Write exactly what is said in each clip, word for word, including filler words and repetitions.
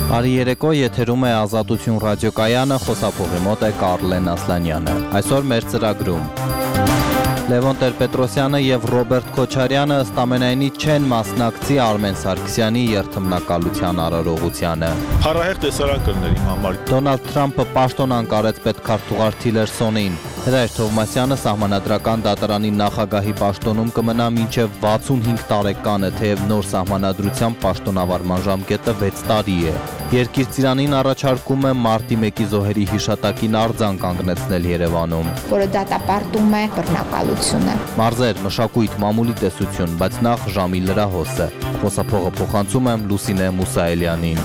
Արի երեկո եթերում է Ազատություն ռադիոկայանը, խոսափողի մոտ է Կարլեն Ասլանյանը։ Այսօր մեր ծրագրում Լևոն Տեր-Պետրոսյանը եւ Ռոբերտ Քոչարյանը ըստ ամենայնի չեն մասնակցի Արմեն Սարգսյանի երթմնակալության արարողությանը։ Փառահեղ տեսարան կլներ իմ համար։ Դոնալդ Թրամփը պաշտոնան կարեց պետքարտուղար Թիլերսոնին։ Հրայր Թովմասյանը Սահմանադրական դատարանի նախագահի պաշտոնում կմնա մինչև վաթսունհինգ տարեկանը, թեև նոր սահմանադրությամբ պաշտոնավարման ժամկետը վեց տարի է։ Երկիր ծիրանին առաջարկում է մարտի մեկի զոհերի հիշատակին արձան կանգնեցնել Երևանում, որը դատապարտում է բռնակալությունը։ Մարզեր, մշակույթ, մամուլի տեսություն, բայց նախ ժամի լրահոսը։ Խոսափողը փոխանցում եմ Լուսինե Մուսայելյանին։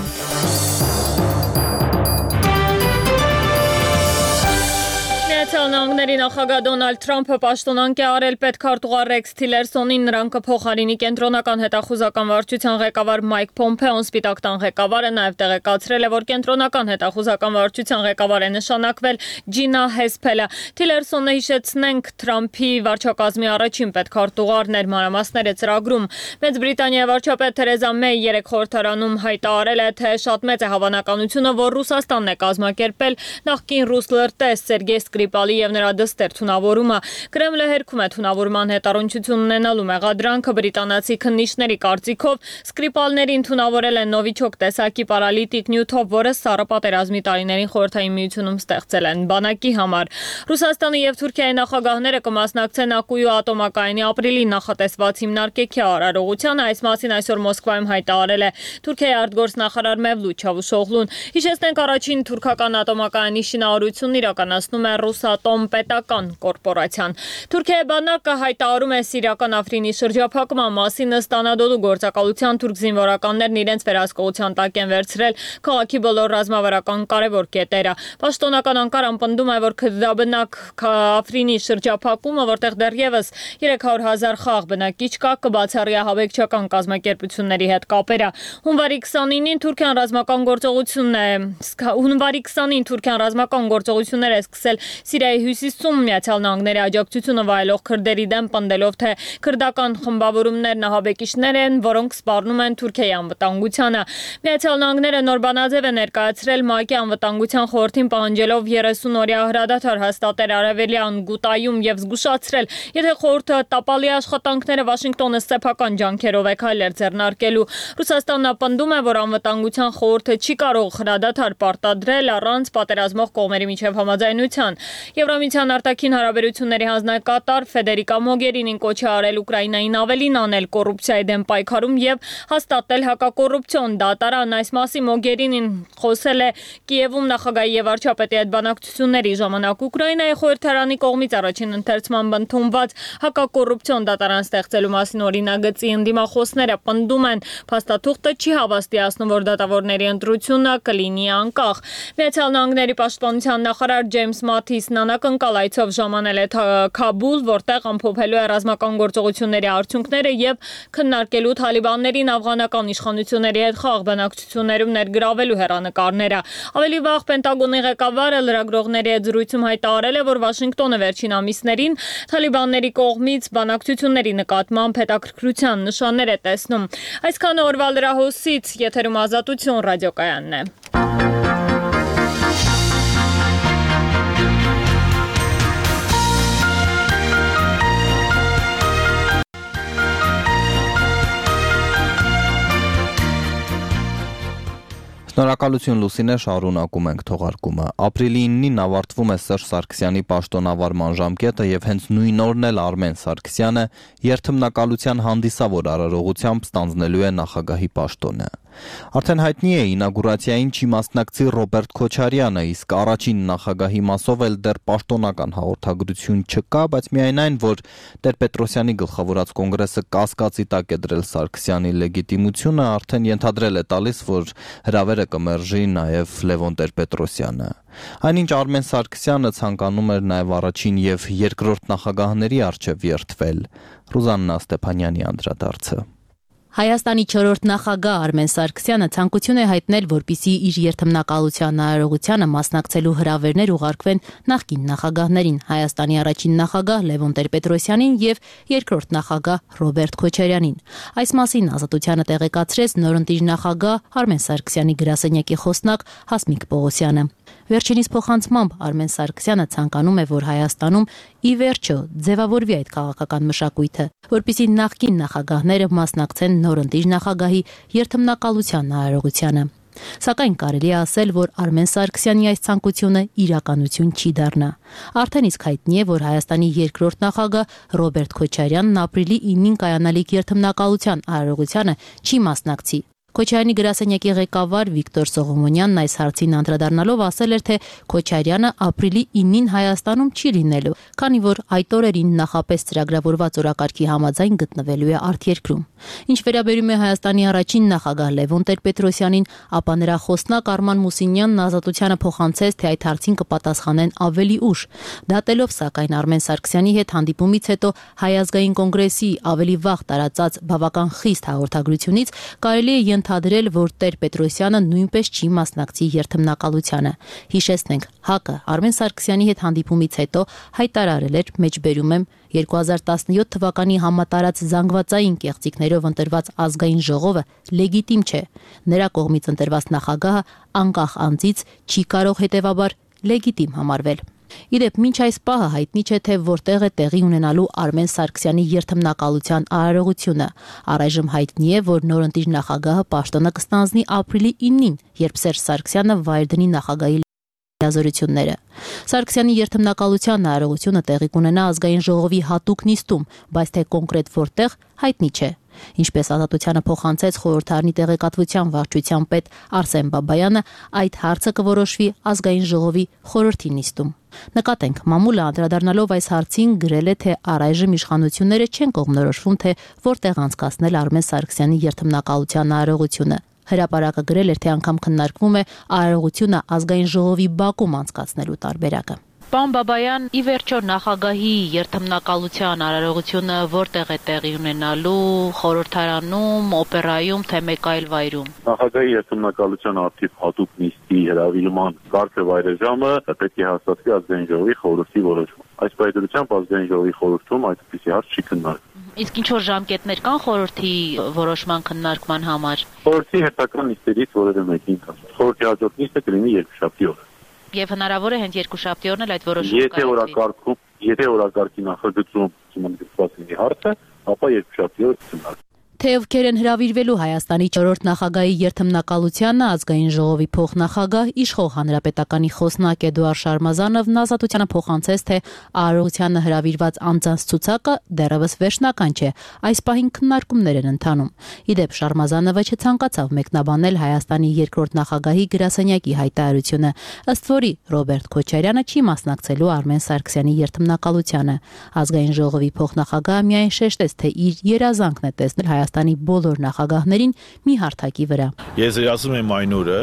Նահանգների նախագահ Դոնալդ Թրամփը պաշտոնանկ է արել պետքարտուղար Ռեքս Թիլերսոնին, նրան կփոխարինի կենտրոնական հետախուզական վարչության ղեկավար Մայք Փոմփեոն։ Սպիտակ տան ղեկավարը նաև տեղեկացրել է, որ կենտրոնական հետախուզական վարչության ղեկավար է նշանակվել Ջինա Հեսփելը։ Թիլերսոնը, հիշեցնենք, Թրամփի վարչակազմի առաջին պետքարտուղարն էր, մանրամասները ծրագրում։ Մեծ Բրիտանիայի վարչապետ Թերեզա Մեյ երեկ խորհրդարանում հայտարարել է, թե շատ մեծ է հավանականությունը, որ Ռուսաստանն է կազմակերպել նախկին ռուս լրտես Սերգեյ Սկրիպալի և նրա դստեր թունավորումը։ Կրեմլը հերքում է թունավորման հետ առնչություն ունենալու մեղադրանքը։ Բրիտանացի քննիչների կարծիքով Սկրիպալներին թունավորել են նովիչոկ տեսակի պարալիտիկ նյութով, որը Սառը պատերազմի տարիներին Խորհրդային Միությունում ստեղծել են բանակի համար։ Ռուսաստանի և Թուրքիայի նախագահները կմասնակցեն Ակույու ատոմակայանի ապրիլին նախատեսված հիմնարկեքի արարողությանը։ Այս մասին այսօր Մոսկվայում հայտարարել է Թուրքիայի արտգործնախարար Մևլութ Չավուշօղլուն։ Հիշեցնենք, առաջին թուրքական ատոմակայանի շինարարությունն իրականացնում է Ռուսատոմ պետական կորպորացիան։ Թուրքիայի բանակը հայտարարում է սիրիական Աֆրինի շրջափակման մասին։ Ըստ Անադոլու գործակալության թուրք զինվորականներն իրենց վերահսկողության տակ են վերցրել քաղաքի բոլոր ռազմավարական կարևոր կետերը։ Պաշտոնական Անկարան պնդում է, որ քրդաբնակ Աֆրինի շրջափակումը, որտեղ դեռևս երեք հարյուր հազար խաղ բնակիչ կա, կբացառի ահաբեկչական կազմակերպությունների հետ կապերը։ Հունվարի քսանինին Թուրքիան ռազմական գործողությունն է հունվարի քսանին Թուրքիան ռազմական գործողություններ է սկսել Սիրիայի հյուսիսում Միացյալ Նահանգների աջակցությունը վայելող քրդերի դեմ, պնդելով, թե քրդական խմբավորումներն ահաբեկիչներ են, որոնք սպառնում են Թուրքիայի անվտանգությանը։ Միացյալ Նահանգները նոր բանաձև է ներկայացրել ՄԱԿ-ի անվտանգության խորհրդին, պահանջելով երեսուն օրյա հրադադար հաստատել Արևելյան Գուտայում եւ զգուշացրել, եթե խորհուրդը տապալի աշխատանքները Վաշինգտոնը սեփական ջանքերով է քայլեր ձեռնարկելու։ Ռուսաստանն ապնդում է, որ անվտանգության խորհուրդը չի կարող հրադադար պարտադրել առանց պատերազմող կողմերի միջև համաձայնության։ Եվրամիության արտաքին հարաբերությունների հանձնակատար Ֆեդերիկա Մոգերինին կոչ է արել Ուկրաինային ավելին անել կոռուպցիայի դեմ պայքարում եւ հաստատել հակակոռուպցիոն դատարան։ Այս մասի Մոգերինին խոսել է Կիևում նախագահի եւ վարչապետի հետ բանակցությունների ժամանակ։ Ուկրաինայի խորհրդարանի կողմից առաջին ընթերցման ընդունված հակակոռուպցիոն դատարան ստեղծելու մասին օրինագծի ընդդիմախոսները պնդում են, փաստաթուղթը չի հավաստիացնում, որ դատավորների ընտրությունը կլինի անկախ։ Միացյալ Նահանգների պաշտպանության նախարար Ջեյմս Մաթիսն անակնկալ այցով ժամանել է Քաբուլ, որտեղ ամփոփելու է ռազմական գործողությունների արդյունքները եւ քննարկելու թալիբաններին աֆղանական իշխանությունների հետ խաղ բանակցություններում ներգրավելու հեռանկարները։ Ավելի վաղ Պենտագոնի ղեկավարը լրագրողների հետ զրույցում հայտարարել է, որ Վաշինգտոնը վերջին ամիսներին թալիբանների կողմից բանակցությունների նկատմամբ հետաքրքրության նշաններ է տեսնում։ Այսքանը օրվա լրահոսից, եթերում Ազատություն ռադիոկայանն է։ Շնորհակալություն Լուսինե, շարունակում ենք թողարկումը։ Ապրիլի իննին ավարտվում է Սերժ Սարգսյանի պաշտոնավարման ժամկետը եւ հենց նույն օրն էլ Արմեն Սարգսյանը երթմնակալության հանդիսավոր արարողությամբ ստանձնելու է նախագահի պաշտոնը։ Արդեն հայտնի է ինագուրացիային չի մասնակցի Ռոբերտ Քոչարյանը, իսկ առաջին նախագահի մասով էլ դեռ պաշտոնական հաղորդագրություն չկա, բայց միայն այն, որ Տեր-Պետրոսյանի գլխավորած կոնգրեսը կասկածի տակ է դրել Սարգսյանի լեգիտիմությունը, արդեն ենթադրել է տալիս, որ հրավերը կմերժի նաև Լևոն Տեր-Պետրոսյանը։ Այնինչ Արմեն Սարգսյանը ցանկանում էր նաև առաջին եւ երկրորդ նախագահների առջև երթվել։ Ռուզաննա Ստեփանյանի անդրադարձը։ Հայաստանի չորրորդ նախագահ Արմեն Սարգսյանը ցանկություն է հայտնել, որպեսզի իր երթմնակալության արարողությանը մասնակցելու հրավերներ ուղարկվեն նախկին նախագահներին՝ Հայաստանի առաջին նախագահ Լևոն Տեր-Պետրոսյանին եւ երկրորդ նախագահ Ռոբերտ Քոչարյանին։ Այս մասին Ազատությանը տեղեկացրեց նորընտիր նախագահ Արմեն Սարգսյանի գրասենյակի խոսնակ Հասմիկ Պողոսյանը։ Վերջինիս փոխանցմամբ Արմեն Սարգսյանը ցանկանում է, որ Հայաստանում ի վերջո ձևավորվի այդ քաղաքական մշակույթը, որպեսզի նախկին նախագահները մասնակցեն նորընտիր նախագահի երթմնակալության արարողությանը։ Սակայն կարելի է ասել, որ Արմեն Սարգսյանի այս ցանկությունը իրականություն չի դառնա։ Արդեն իսկ հայտնի է, որ Հայաստանի երկրորդ նախագահ Ռոբերտ Քոչարյանն ապրիլի իննին կայանալիք երթմնակալության արարողությանը չի մասնակցի։ Քոչարյանի գրասենյակի ղեկավար Վիկտոր Սողոմոնյանն այս հարցին անդրադառնալով ասել էր, թե Քոչարյանը ապրիլի իննին Հայաստանում չի լինելու, քանի որ այդ օրերին նախապես ծրագրավորված օրակարգի համաձայն գտնվելու է արտերկրում։ Ինչ վերաբերում է Հայաստանի առաջին նախագահ Լևոն Տեր-Պետրոսյանին, ապա նրա խոսնակ Արման Մուսինյանն Ազատությանը փոխանցեց, թե այդ հարցին կպատասխանեն ավելի ուշ։ Դատելով սակայն Արմեն Սարգսյանի հետ հանդիպումից հետո Հայ ազգային կոնգրեսի ավելի վաղ տարածած բավական խիստ հաղորդագրությունից կարելի է ընդհանրել, որ Տեր-Պետրոսյանը նույնպես չի մասնակցի երթմնակալությանը։ Հիշեցնենք, ՀԱԿ-ը Արմեն Սարգսյանի հետ հանդիպումից հետո հայտարարել էր, մեջբերում եմ, երկու հազար տասնյոթ թվականի համատարած զանգվածային կեղծիքներով ընտրված ազգային ժողովը լեգիտիմ չէ։ Նրա կողմից ընտրված նախագահը անկախ անձից չի կարող հետևաբար լեգիտիմ համարվել։ Իդեպ մինչ այս պահը հայտնի չէ, թե որտեղ է տեղի ունենալու Արմեն Սարգսյանի երթմնակալության արարողությունը։ Առայժմ հայտնի է, որ նորընտիր նախագահը պաշտոնը կստանձնի ապրիլի իննին, երբ Սերժ Սարգսյանը վայր դնի նախագահի լիազորությունները։ Սարգսյանի երթմնակալության արարողությունը տեղի կունենա ազգային ժողովի հատուկ նիստում, բայց թե կոնկրետ որտեղ հայտնի չէ։ Ինչպես Ազատությանը փոխանցեց խորհրդարանի տեղեկատվության վարչության պետ Արսեն Բաբայանը, այդ հարցը կորոշվի ազգային ժողովի խորհրդի նիստում։ Նկատենք, մամուլը անդրադառնալով այս հարցին գրել է, թե առայժմ իշխանությունները չեն կողմնորոշվում, թե որտեղ անցկացնել Արմեն Սարգսյանի երթմնակալության արարողությունը։ Հրապարակը գրել էր, թե անգամ քննարկվում է արարողությունը ազգային ժողովի բակում անցկացնելու տարբերակը։ Պարոն Բաբայան, ի վերջո նախագահի երթմնակալության արարողությունը որտեղ է տեղի ունենալու՝ խորհրդարանում, օպերայում, թե մեկ այլ վայրում։ Նախագահի երթմնակալության արդիվ հատուկ նիստի հրավիրման կարգը վայրեժամը պետք է հաստատվի ազգային ժողովի խորհրդի որոշմամբ։ Այս պայմանությամբ ազգային ժողովի խորհրդում այդպիսի հարց չի քննարկվում։ Իսկ ինչ որ ժամկետներ կան խորհրդի որոշման քննարկման համար։ Խորհրդի հետական նիստերից որևէ մեկին կան։ Խորհրդի հաջորդ նիստը կլինի երկուշաբթի օրը։ Եվ հնարավոր է հենց երկուշաբթի օրն էլ այդ որոշումը կայացվի։ Եթե օրակարգում, եթե օրակարգի նախագծում ցույց լինի հարցը, ապա երկուշաբթի օրը կքննարկվի։ Թե ովքեր են հրավիրվելու Հայաստանի չորրորդ նախագահի երթմնակալությանը, ազգային ժողովի փոխնախագահ իշխող հանրապետականի խոսնակ Էդուարդ Շարմազանովն Ազատությանը փոխանցեց, թե արարողությանը հրավիրված անձանց ցուցակը դեռևս վերջնական չէ, այս պահին քննարկումներ են ընթանում։ Իդեպ Շարմազանովը չցանկացավ մեկնաբանել Հայաստանի երկրորդ նախագահի գրասենյակի հայտարարությունը, ըստ որի Ռոբերտ Քոչարյանը չի մասնակցելու Արմեն Սարգսյանի երթմնակալությանը։ Ազգային ժողովի փոխնախագահը միայն շեշտեց, թե իր երազանքն է տեսնել Հայաստանի բոլոր նախագահներին մի հարթակի վրա։ Ես երազում եմ այն օրը,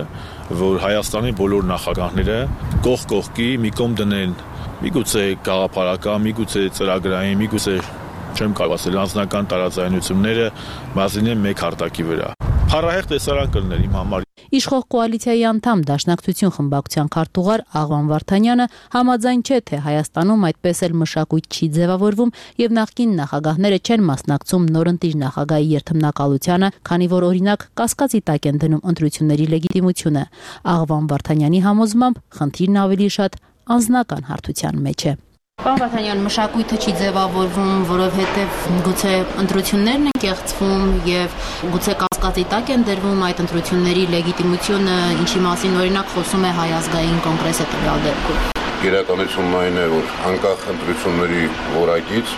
որ Հայաստանի բոլոր նախագահները կողք կողքի մի կողմ դնեն, միգուցե գաղափարական, միգուցե ծրագրային, միգուցե չեմ կարող ասել անձնական տարաձայնությունները բազինեն մեկ հարթակի վրա։ Փառահեղ տեսարան կլներ իմ համար։ Իշխող կոալիցիայի անդամ Դաշնակցություն խմբակցության քարտուղար Աղվան Վարդանյանը համաձայն չէ, թե Հայաստանում այդպես էլ մշակույթ չի ձևավորվում եւ նախկին նախագահները չեն մասնակցում նորընտիր նախագահի երթմնակալությանը, քանի որ օրինակ կասկածի տակ են դնում ընտրությունների լեգիտիմությունը։ Աղվան Վարդանյանի համոզմամբ խնդիրն ավելի շատ անձնական հարթության մեջ է։ Պարոն Վարդանյան, մշակույթը չի ձևավորվում, որովհետև գուցե ընտրություններն են կեղծվում եւ գուցե կասկածի տակ են դրվում այդ ընտրությունների լեգիտիմությունը, ինչի մասին օրինակ խոսում է Հայ ազգային կոնգրեսը տվյալ դեպքում։ Իրականությունն այն է, որ անկախ ընտրությունների որակից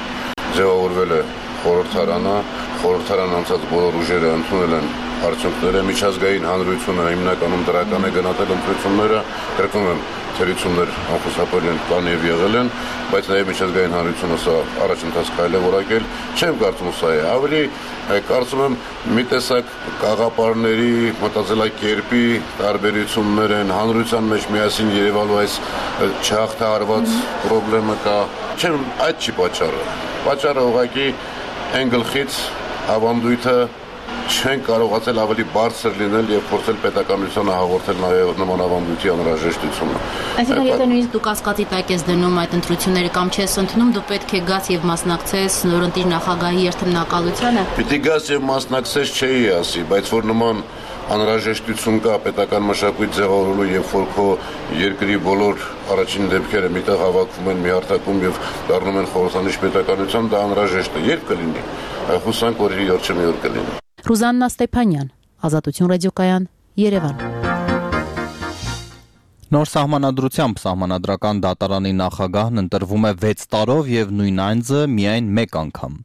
ձևավորվել է խորհրդարանը, խորհրդարան անցած բոլոր ուժերը ընդունել են արդյունքները, միջազգային հանրությունը հիմնականում դրական է գնահատել ընտրությունները, կրկնում եմ, թերություններ անխուսափելի կան եւ եղել են, բայց նաեւ միջազգային հանրությունը սա առաջընթաց քայլ է որակել, չեմ կարծում սա է, ավելի կարծում եմ մի տեսակ գաղափարների, մտածելակերպի տարբերություններ են, հանրության մեջ միասին երևալու այս չհաղթահարված խնդրը կա, չեմ, այդ չի պատճառը, պատճառը ուղղակի այն գլխից ավանդույթը չեն կարողացել ավելի բարձր լինել եւ փորձել պետականությանը հաղորդել նաեւ նման ավանդույթի անհրաժեշտությունը։ Այսինքն եթե նույնիսկ դու կասկածի տակ ես դնում այդ ընտրությունները կամ չես ընդունում, դու պետք է գաս եւ մասնակցես նորընտիր նախագահի երթմնակալությանը։ Պիտի գաս եւ մասնակցես չէի ասի, բայց որ նման անհրաժեշտություն կա պետական մշակույթ ձևավորելու եւ որ քո երկրի բոլոր առաջին դեպքերը միտեղ հավաքվում են մի հարթակում եւ դառնում են խորհրդանիշ պետականության, դա անհրաժեշտ է։ Երբ կլինի։ Հուսանք, որ իր ոչ մի օր կլինի։ Ռուզաննա Ստեփանյան, Ազատություն ռադիոկայան, Երևան։ Նոր սահմանադրությամբ սահմանադրական դատարանի նախագահն ընտրվում է վեց տարով եւ նույն այնձը միայն մեկ անգամ։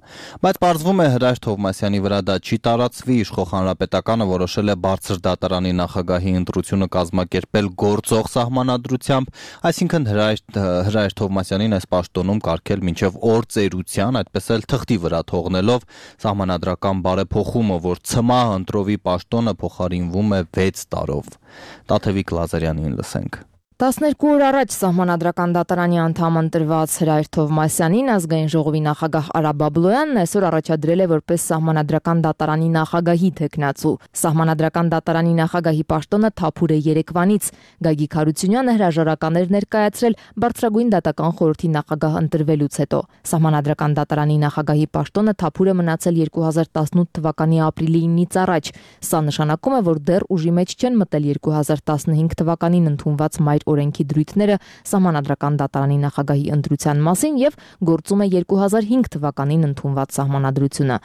Բայց պարզվում է Հրայր Թովմասյանի վրա դա չի տարածվի, իշխող հանրապետականը որոշել է բարձր դատարանի նախագահի ընտրությունը կազմակերպել գործող սահմանադրությամբ, այսինքն Հրայր Հրայր Թովմասյանին այս պաշտոնում կարգել մինչեւ օր ծերության, այդպես էլ թղթի վրա թողնելով սահմանադրական բարեփոխումը, որ ցմահ ընտրովի պաշտոնը փոխարինվում է վեց տարով։ Տաթևիկ Լազարյանին լսենք։ տասներկու օր առաջ սահմանադրական դատարանի անդամ ընտրված Հրայր Թովմասյանին ազգային ժողովի նախագահ Արա Բաբլոյանն այսօր առաջադրել է որպես սահմանադրական դատարանի նախագահի թեկնածու։ Սահմանադրական դատարանի նախագահի պաշտոնը թափուր է երեկվանից։ Գագիկ Հարությունյանը հրաժարական էր ներկայացրել բարձրագույն դատական խորհրդի նախագահ ընտրվելուց հետո։ Սահմանադրական դատարանի նախագահի պաշտոնը թափուր է մնացել երկու հազար տասնութ թվականի ապրիլի ինից առաջ։ Սա նշանակում է, որ դեռ ուժի մեջ չեն մտել երկու հազար տասնհինգ թվականին ընդունված մայր օրենքի դրույթները սահմանադրական դատարանի նախագահի ընտրության մասին եւ գործում է երկու հազար հինգ թվականին ընդունված սահմանադրությունը։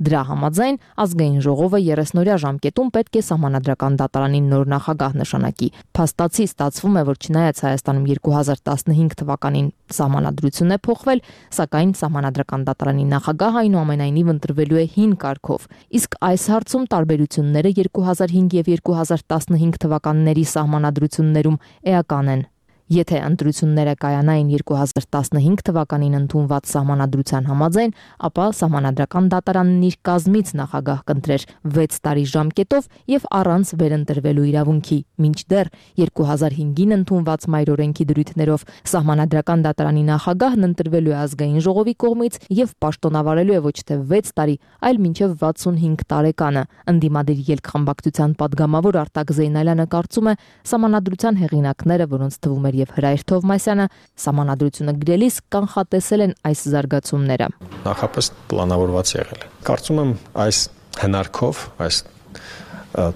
Դրա համաձայն ազգային ժողովը երեսնօրյա ժամկետում պետք է սահմանադրական դատարանի նոր նախագահ նշանակի։ Փաստացի ստացվում է, որ չնայած Հայաստանում երկու հազար տասնհինգ թվականին սահմանադրություն է փոխվել, սակայն սահմանադրական դատարանի նախագահը այնուամենայնիվ ընտրվելու է հին կարգով։ Իսկ այս հարցում տարբերությունները երկու հազար հինգ եւ երկու հազար տասնհինգ թվականների սահմանադրություններում էական են։ Եթե ընտրությունները կայանային երկու հազար տասնհինգ թվականին ընդունված սահմանադրության համաձայն, ապա սահմանադրական դատարանն իր կազմից նախագահ կընտրեր վեց տարի ժամկետով եւ առանց վերընտրվելու իրավունքի, մինչդեռ երկու հազար հինգին ընդունված մայր օրենքի դրույթներով սահմանադրական դատարանի նախագահն ընտրվելու է ազգային ժողովի կողմից եւ պաշտոնավարելու է ոչ թե վեց տարի, այլ մինչեւ վաթսունհինգ տարեկանը։ Ընդդիմադիր ելք-խմբակցության падգամավոր Արտակ Զեյնալյանը կարծում է, սահմանադրության հեղինակները, որոնց թվում եւ Հրայր Թովմասյանը սահմանադրությունը գրելիս կանխատեսել են այս զարգացումները։ Նախապես պլանավորված եղել է։ Կարծում եմ այս հնարքով, այս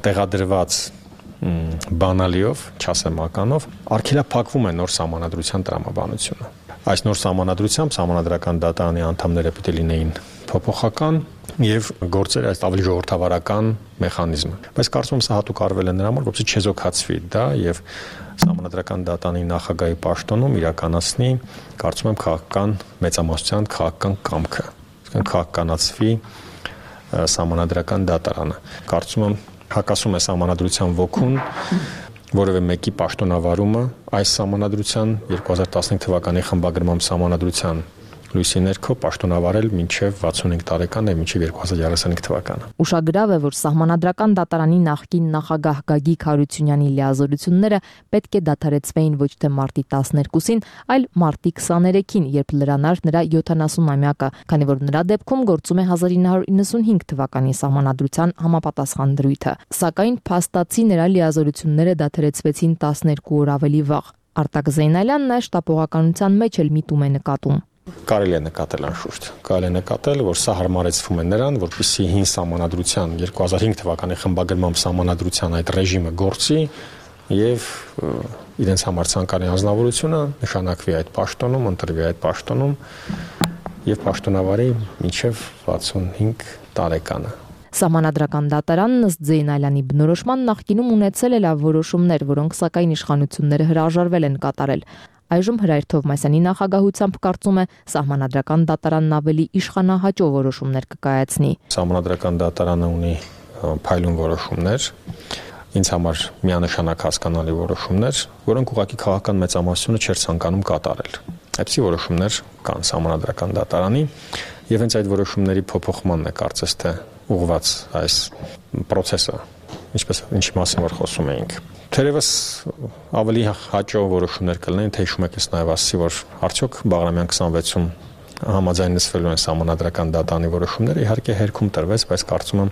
տեղադրված բանալիով, չասեմ ականով, արգելափակվում է նոր սահմանադրության տրամաբանությունը։ Այս նոր սահմանադրությամբ սահմանադրական դատարանի անդամները պետք է լինեին փոփոխական եւ գործերը այս ավելի ժողովրդավարական մեխանիզմը։ Բայց կարծում եմ սա հատուկ արվել է նրա համար, որպեսզի չեզոքացվի դա եւ սահմանադրական դատարանի նախագահի պաշտոնում իրականացնի, կարծում եմ, քաղաքական մեծամասնության քաղաքական կամքը, այսինքն քաղաքականացվի սահմանադրական դատարանը։ Կարծում եմ, հակասում է սահմանադրության ոգուն որևէ մեկի պաշտոնավարումը այս սահմանադրության երկու հազար տասնհինգ թվականի խմբագրման սահմանադրության լույսի ներքո պաշտոնավարել մինչև վաթսունհինգ տարեկան եւ մինչև երկու հազար երեսունհինգ թվականը։ Ուշագրավ է, որ սահմանադրական դատարանի նախկին նախագահ Գագիկ Հարությունյանի լիազորությունները պետք է դադարեցվեին ոչ թե մարտի տասներկուսին, այլ մարտի քսաներեքին, երբ լրանար նրա յոթանասունամյակը, քանի որ նրա դեպքում գործում է հազար ինը հարյուր իննսունհինգ թվականի սահմանադրության համապատասխան դրույթը։ Սակայն փաստացի նրա լիազորությունները դադարեցվեցին տասներկու օր ավելի վաղ։ Արտակ Զեյնալյանն այս շտապողականության մեջ էլ միտում է նկատում։ Կարելի է նկատել անշուշտ, կարելի է նկատել, որ սա հարմարեցվում է նրան, որպեսզի հին սահմանադրության երկու հազար հինգ թվականի խմբագրման սահմանադրության այդ ռեժիմը գործի եւ իրենց համար ցանկալի անձնավորությունը նշանակվի այդ պաշտոնում, ընտրվի այդ պաշտոնում եւ պաշտոնավարի մինչեւ վաթսունհինգ տարեկանը։ Սահմանադրական դատարանն ըստ Զեյնալյանի բնորոշման նախկինում ունեցել է լավ որոշումներ, որոնք սակայն իշխանությունները հրաժարվել են կատարել։ Այժմ Հրայր Թովմասյանի նախագահությամբ կարծում է սահմանադրական դատարանն ավելի իշխանահաճո որոշումներ կկայացնի։ Սահմանադրական դատարանը ունի փայլուն որոշումներ, ինձ համար միանշանակ հասկանալի որոշումներ, որոնք ուղղակի քաղաքական մեծամասնությունը չէր ցանկանում կատարել։ Այսպիսի որոշումներ կան սահմանադրական դատարանի եւ հենց այդ որոշումների փոփոխմանն է կարծես թե ուղղված այս process-ը, ինչպես ինչի մասին որ խոսում էինք։ Թերևս ավելի հաճո որոշումներ կլինեն, թե հիշում եք ես նաև ասացի, որ արդյոք Բաղրամյան քսանվեցում համաձայնեցվելու են սահմանադրական դատանի որոշումները, իհարկե հերքում տրվեց, բայց կարծում եմ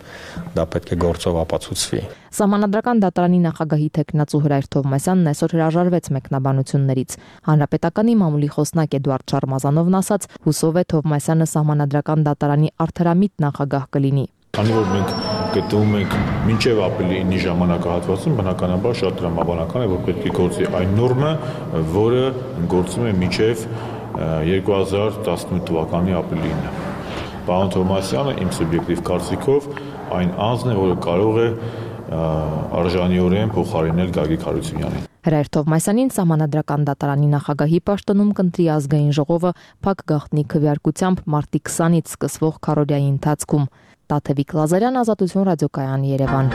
դա պետք է գործով ապացուցվի։ Սահմանադրական դատարանի նախագահի տեխնացու Հրայր Թովմասյանն այսօր հրաժարվեց մեկնաբանություններից։ Հանրապետականի մամուլի խոսնակ Էդուարդ Շարմազանովն ասաց, հուսով է Թովմասյանը սահմանադրական դատարանի արդարամիտ նախագահ կլինի։ Քանի որ մենք գտնվում ենք մինչև ապրիլի ժամանակահատվածում, բնականաբար շատ տրամաբանական է, որ պետք է գործի այն նորմը, որը գործում է մինչև երկու հազար տասնութ թվականի ապրիլին։ Պարոն Թովմասյանը իմ սուբյեկտիվ կարծիքով այն անձն է, որը կարող է արժանիորեն փոխարինել Գագիկ Հարությունյանին։ Հրայր Թովմասյանին սահմանադրական դատարանի նախագահի պաշտոնում կընտրի ազգային ժողովը փակ գաղտնի քվեարկությամբ մարտի քսանից սկսվող քարոզիայի ընթացքում։ Տաթևիկ Լազարյան, Ազատություն ռադիոկայան, Երևան։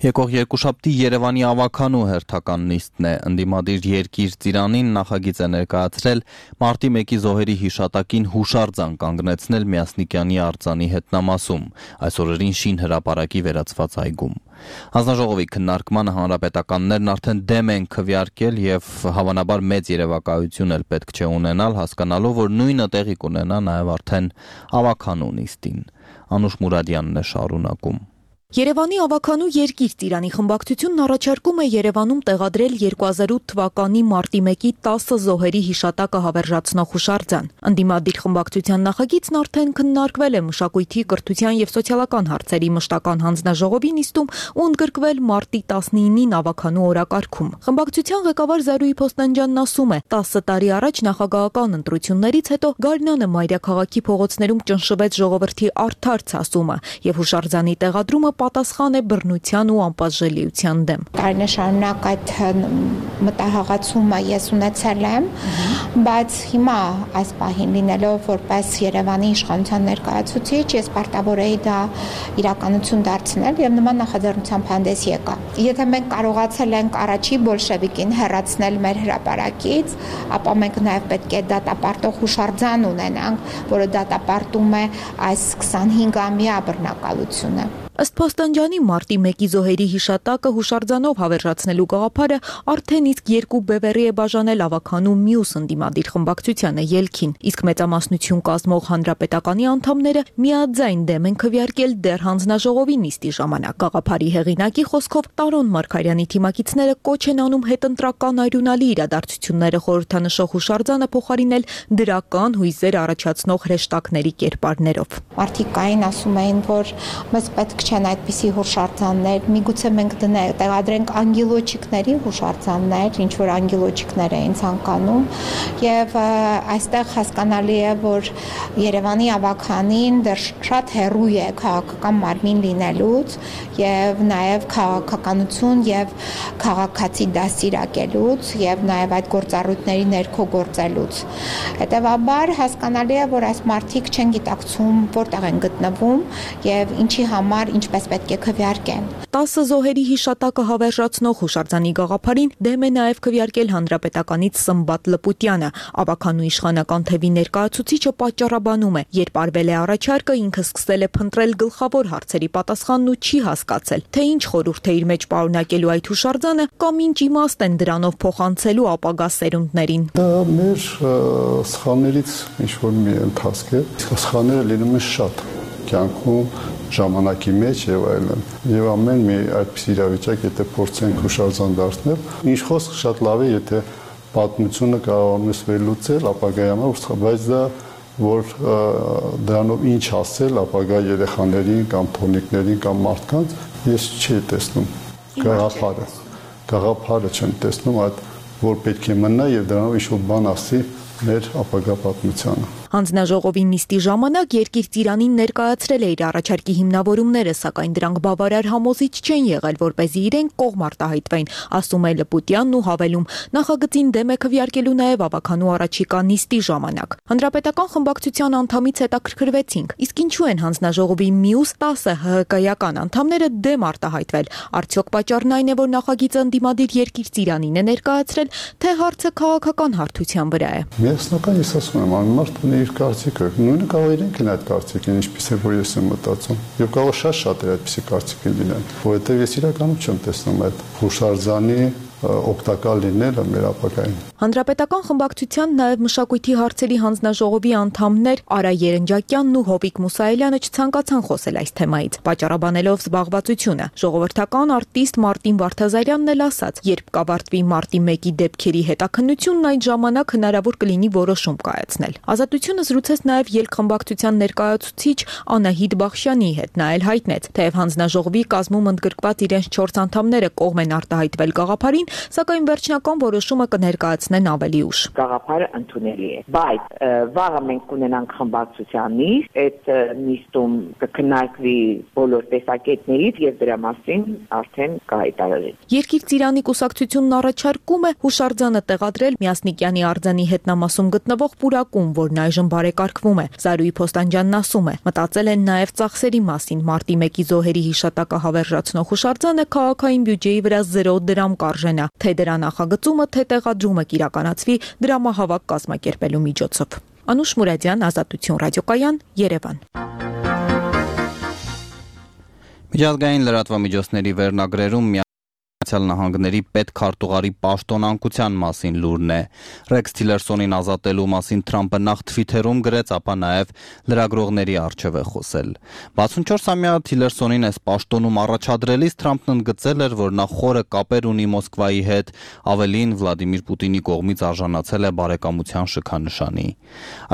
Եկող երկուշաբթի Երևանի ավականու հերթական նիստն է։ Ընդդիմադիր Երկիր ծիրանին նախագիծ է ներկայացրել մարտի մեկի զոհերի հիշատակին հուշարձան կանգնեցնել Միասնիկյանի արձանի հետնամասում, այս օրերին Շին հրապարակի վերածված այգում։ Հանձնաժողովի քննարկմանը հանրապետականներն արդեն դեմ են քվեարկել եւ հավանաբար մեծ երևակայություն էլ պետք չէ ունենալ, հասկանալով, որ նույնը տեղի կունենա նաեւ արդեն ավականու նիստին։ Անուշ Մուրադյանն է շարունակում։ Երևանի ավականու Երկիր ծիրանի խմբակցությունն առաջարկում է Երևանում տեղադրել երկու հազար ութ թվականի մարտի մեկի տասը զոհերի հիշատակը հավերժացնող հուշարձան։ Ընդդիմադիր խմբակցության նախագիծն արդեն քննարկվել է Մշակույթի, կրթության եւ սոցիալական հարցերի մշտական հանձնաժողովի նիստում ու ընդգրկվել մարտի տասնինին ավականու օրակարգում։ Խմբակցության ղեկավար Զարուհի Փոստանջյանն ասում է, տասը տարի առաջ նախագահական ընտրություններից հետո Գարնանը մայրաքաղաքի փողոցներում ճնշվեց ժողովրդի արդար ցասումը եւ հուշարձանի տեղադրումը պատասխան է բռնության ու անպատժելիության դեմ։ Տարիներ շարունակ այդ մտահղացումը ես ունեցել եմ, բայց հիմա այս պահին լինելով որպես Երևանի իշխանության ներկայացուցիչ, ես պարտավոր էի դա իրականություն դարձնել եւ նման նախաձեռնությամբ հանդես եկա։ Եթե մենք կարողացել ենք առաջի բոլշևիկին հեռացնել մեր հրապարակից, ապա մենք նաեւ պետք է դատապարտող հուշարձան ունենանք, որը դատապարտում է այս քսանհինգամյա բռնակալությունը։ Ըստ Փոստանջյանի մարտի մեկի զոհերի հիշատակը հուշարձանով հավերժացնելու գաղափարը արդեն իսկ երկու բևեռի է բաժանել ավականու մյուս ընդդիմադիր խմբակցությանը ելքին, իսկ մեծամասնություն կազմող հանրապետականի անդամները միաձայն դեմ են քվեարկել դեռ հանձնաժողովի նիստի ժամանակ։ Գաղափարի հեղինակի խոսքով Տարոն Մարգարյանի թիմակիցները կոչ են անում հետընտրական արյունալի իրադարձությունները խորհրդանշող հուշարձանը փոխարինել դրական հույզեր առաջացնող հրեշտակների կերպարներով։ Մարդիկ կային ասում էին, որ մեզ պետք չեն այդպիսի հուշարձաններ, միգուցե մենք դնենք, տեղադրենք անգելոջիկների հուշարձաններ, ինչ որ անգելոջիկներ էին ցանկանում, եւ այստեղ հասկանալի է, որ Երևանի ավականին դեռ շատ հեռու է քաղաքական մարմին լինելուց եւ նաեւ քաղաքականություն եւ քաղաքացի դասիրակելուց եւ նաեւ այդ գործառույթների ներքո գործելուց։ Հետեւաբար հասկանալի է, որ այս մարդիկ չեն գիտակցում որտեղ են գտնվում եւ ինչի համար ինչպես պետք է քվեարկեն։ տասը զոհերի հիշատակը հավերժացնող հուշարձանի գաղափարին դեմ է նաև քվեարկել հանրապետականից Սմբատ Լպուտյանը։ Ավականու իշխանական թևի ներկայացուցիչը պատճառաբանում է, երբ արվել է առաջարկը, ինքը սկսել է փնտրել գլխավոր հարցերի պատասխանն ու չի հասկացել, թե ինչ խորհուրդ է իր մեջ պարունակելու այդ հուշարձանը կամ ինչ իմաստ են դրանով փոխանցելու ապագա սերունդներին։ Դա մեր սխալներից ինչ որ մի ընթացք է, սխալները լինում են շատ կյանքում ժամանակի մեջ եւ այլն։ Եվ ամեն մի այդպիսի իրավիճակ, եթե փորձենք հուշարձան դարձնել, ինչ խոսք շատ լավ է, եթե պատմությունը կարողանում ես վերլուծել ապագայի համար, բայց դա որ դրանով ինչ ասել ապագա երեխաներին կամ թորնիկներին կամ մարդկանց, ես չի տեսնում գաղափարը։ Գաղափարը չեմ տեսնում այդ, որ պետք է մնա եւ դրանով ինչ-որ բան ասի մեր ապագա պատմությանը։ Հանձնաժողովի նիստի ժամանակ Երկիր ծիրանին ներկայացրել է իր առաջարկի հիմնավորումները, սակայն դրանք բավարար համոզիչ չեն եղել, որպեսզի իրենք կողմ արտահայտվեն, ասում է Լպուտյանն ու հավելում. նախագծին դեմ է քվեարկելու նաև ավականու առաջիկա նիստի ժամանակ։ Հանրապետական խմբակցության անդամից հետաքրքրվեցինք, իսկ ինչու են հանձնաժողովի մյուս տասը ՀՀԿ-ական անդամները դեմ արտահայտվել։ Արդյոք պատճառն այն է, որ նախագիծը ընդդիմադիր Երկիր ծիրանին է ներկայացրել, թե հարցը քաղաքական հարթության վրա է։ Միասնական ես ասում եմ, անմարդ ունի իր կարծիքը, նույնը կարող իրենք են այդ կարծիքին, ինչպես է որ ես եմ մտածում։ Եվ կարող շատ շատ է այդպիսի կարծիքին լինեն, որովհետև ես իրականում չեմ տեսնում այդ հուշարձանի օգտակար լինելը մեր ապագային։ Հանրապետական խմբակցության նաև մշակույթի հարցերի հանձնաժողովի անդամներ Արա Երնջակյանն ու Հովիկ Մուսայելյանը չցանկացան խոսել այս թեմայից, պատճառաբանելով զբաղվածությունը։ Ժողովրդական արտիստ Մարտին Վարդազարյանն էլ ասաց, երբ կավարտվի մարտի մեկի դեպքերի հետաքննությունն, այդ ժամանակ հնարավոր կլինի որոշում կայացնել։ Ազատությունը զրուցեց նաև ելքխմբակցության ներկայացուցիչ Անահիտ Բախշյանի հետ, նա էլ հայտնեց, թեև հանձնաժողովի կազմում ընդգրկված իրենց չորս անդամները կողմ են արտահայտվել գաղափարին, սակայն վերջնական որոշումը կներկայացնեն ավելի ուշ։ Գաղափարը ընդունելի է, բայց վաղը մենք կունենանք խմբակցության նիստ, այդ նիստում կքննարկվի բոլոր տեսակետներից եւ դրա մասին արդեն կհայտարարվի։ Երկիր ծիրանի կուսակցությունն առաջարկում է հուշարձանը տեղադրել Միասնիկյանի արձանի հետնամասում գտնվող պուրակում, որն այժմ բարեկարգվում է։ Զարուհի Փոստանջյանն ասում է, մտածել են նաև ծախսերի մասին, մարտի մեկի զոհերի հիշատակը հավերժացնող հուշարձանը քաղաքային բյուջեի վրա զերո դրամ կարժենա, թե դրա նախագծումը, թե տեղադրումը կիրականացվի դրամահավաք կազմակերպելու միջոցով։ Անուշ Մուրադյան, Ազատություն ռադիոկայան, Երևան։ Միջազգային լրատվամիջոցների վերնագրերում Միացյալ Նահանգների պետքարտուղարի պաշտոնանկության մասին լուրն է։ Ռեքս Թիլերսոնին ազատելու մասին Թրամփը նախ Թվիթերում գրեց, ապա նաև լրագրողների առջև է խոսել։ վաթսունչորսամյա Թիլերսոնին այս պաշտոնում առաջադրելիս Թրամփն ընդգծել էր, որ նա խորը կապեր ունի Մոսկվայի հետ, ավելին Վլադիմիր Պուտինի կողմից արժանացել է բարեկամության շքանշանի։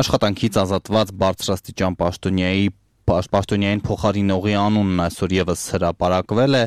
Աշխատանքից ազատված բարձրաստիճան պաշտոնյայի Պաշտոնյային փոխարինողի անունն այսօր եւս հրապարակվել է,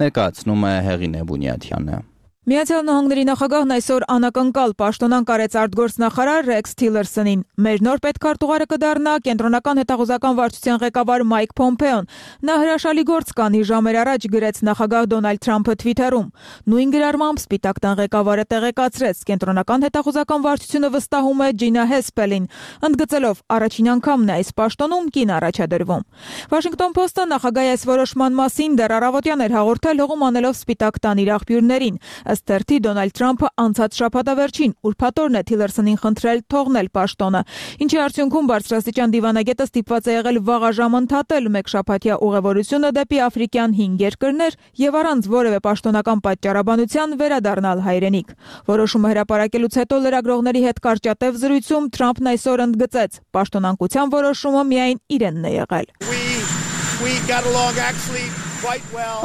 ներկայացնում է Հեղինե Բունյաթյանը։ Միացյալ Նահանգների նախագահն այսօր անակնկալ պաշտոնանկ արեց արտգործնախարար Ռեքս Թիլերսոնին։ Մեր նոր պետքարտուղարը կդառնա կենտրոնական հետախուզական վարչության ղեկավար Մայք Փոմփեոն։ Նա հրաշալի գործ կանի ժամեր առաջ, գրեց նախագահ Դոնալդ Թրամփը Թվիթերում։ Նույն գրառմամբ Սպիտակ տան ղեկավարը տեղեկացրեց, կենտրոնական հետախուզական վարչությունը վստահում է Ջինա Հեսպելին, ընդգծելով առաջին անգամն է այս պաշտոնում կին առաջադրվում։ Վաշինգտոն Փոստը նախագահի այս որոշման մասին դեռ առավոտյան էր հաղորդել, հողում անելով Սպիտակ տան իր աղբյուրներին։ Ըստ Դոնալդ Թրամփը անցած շաբաթավերջին ուրբաթօրն է Թիլերսոնին խնդրել թողնել պաշտոնը, ինչի արդյունքում բարձրաստիճան դիվանագետը ստիպված է եղել վաղաժամ ընդհատել մեկ շաբաթյա ուղևորությունը դեպի աֆրիկյան հինգ երկրներ եւ առանց որևէ պաշտոնական պատճառաբանության վերադառնալ հայրենիք։ Որոշումը հրապարակելուց հետո լրագրողների հետ կարճատև զրույցում Թրամփն այսօր ընդգծեց, պաշտոնանկության որոշումը միայն իրենն է եղել։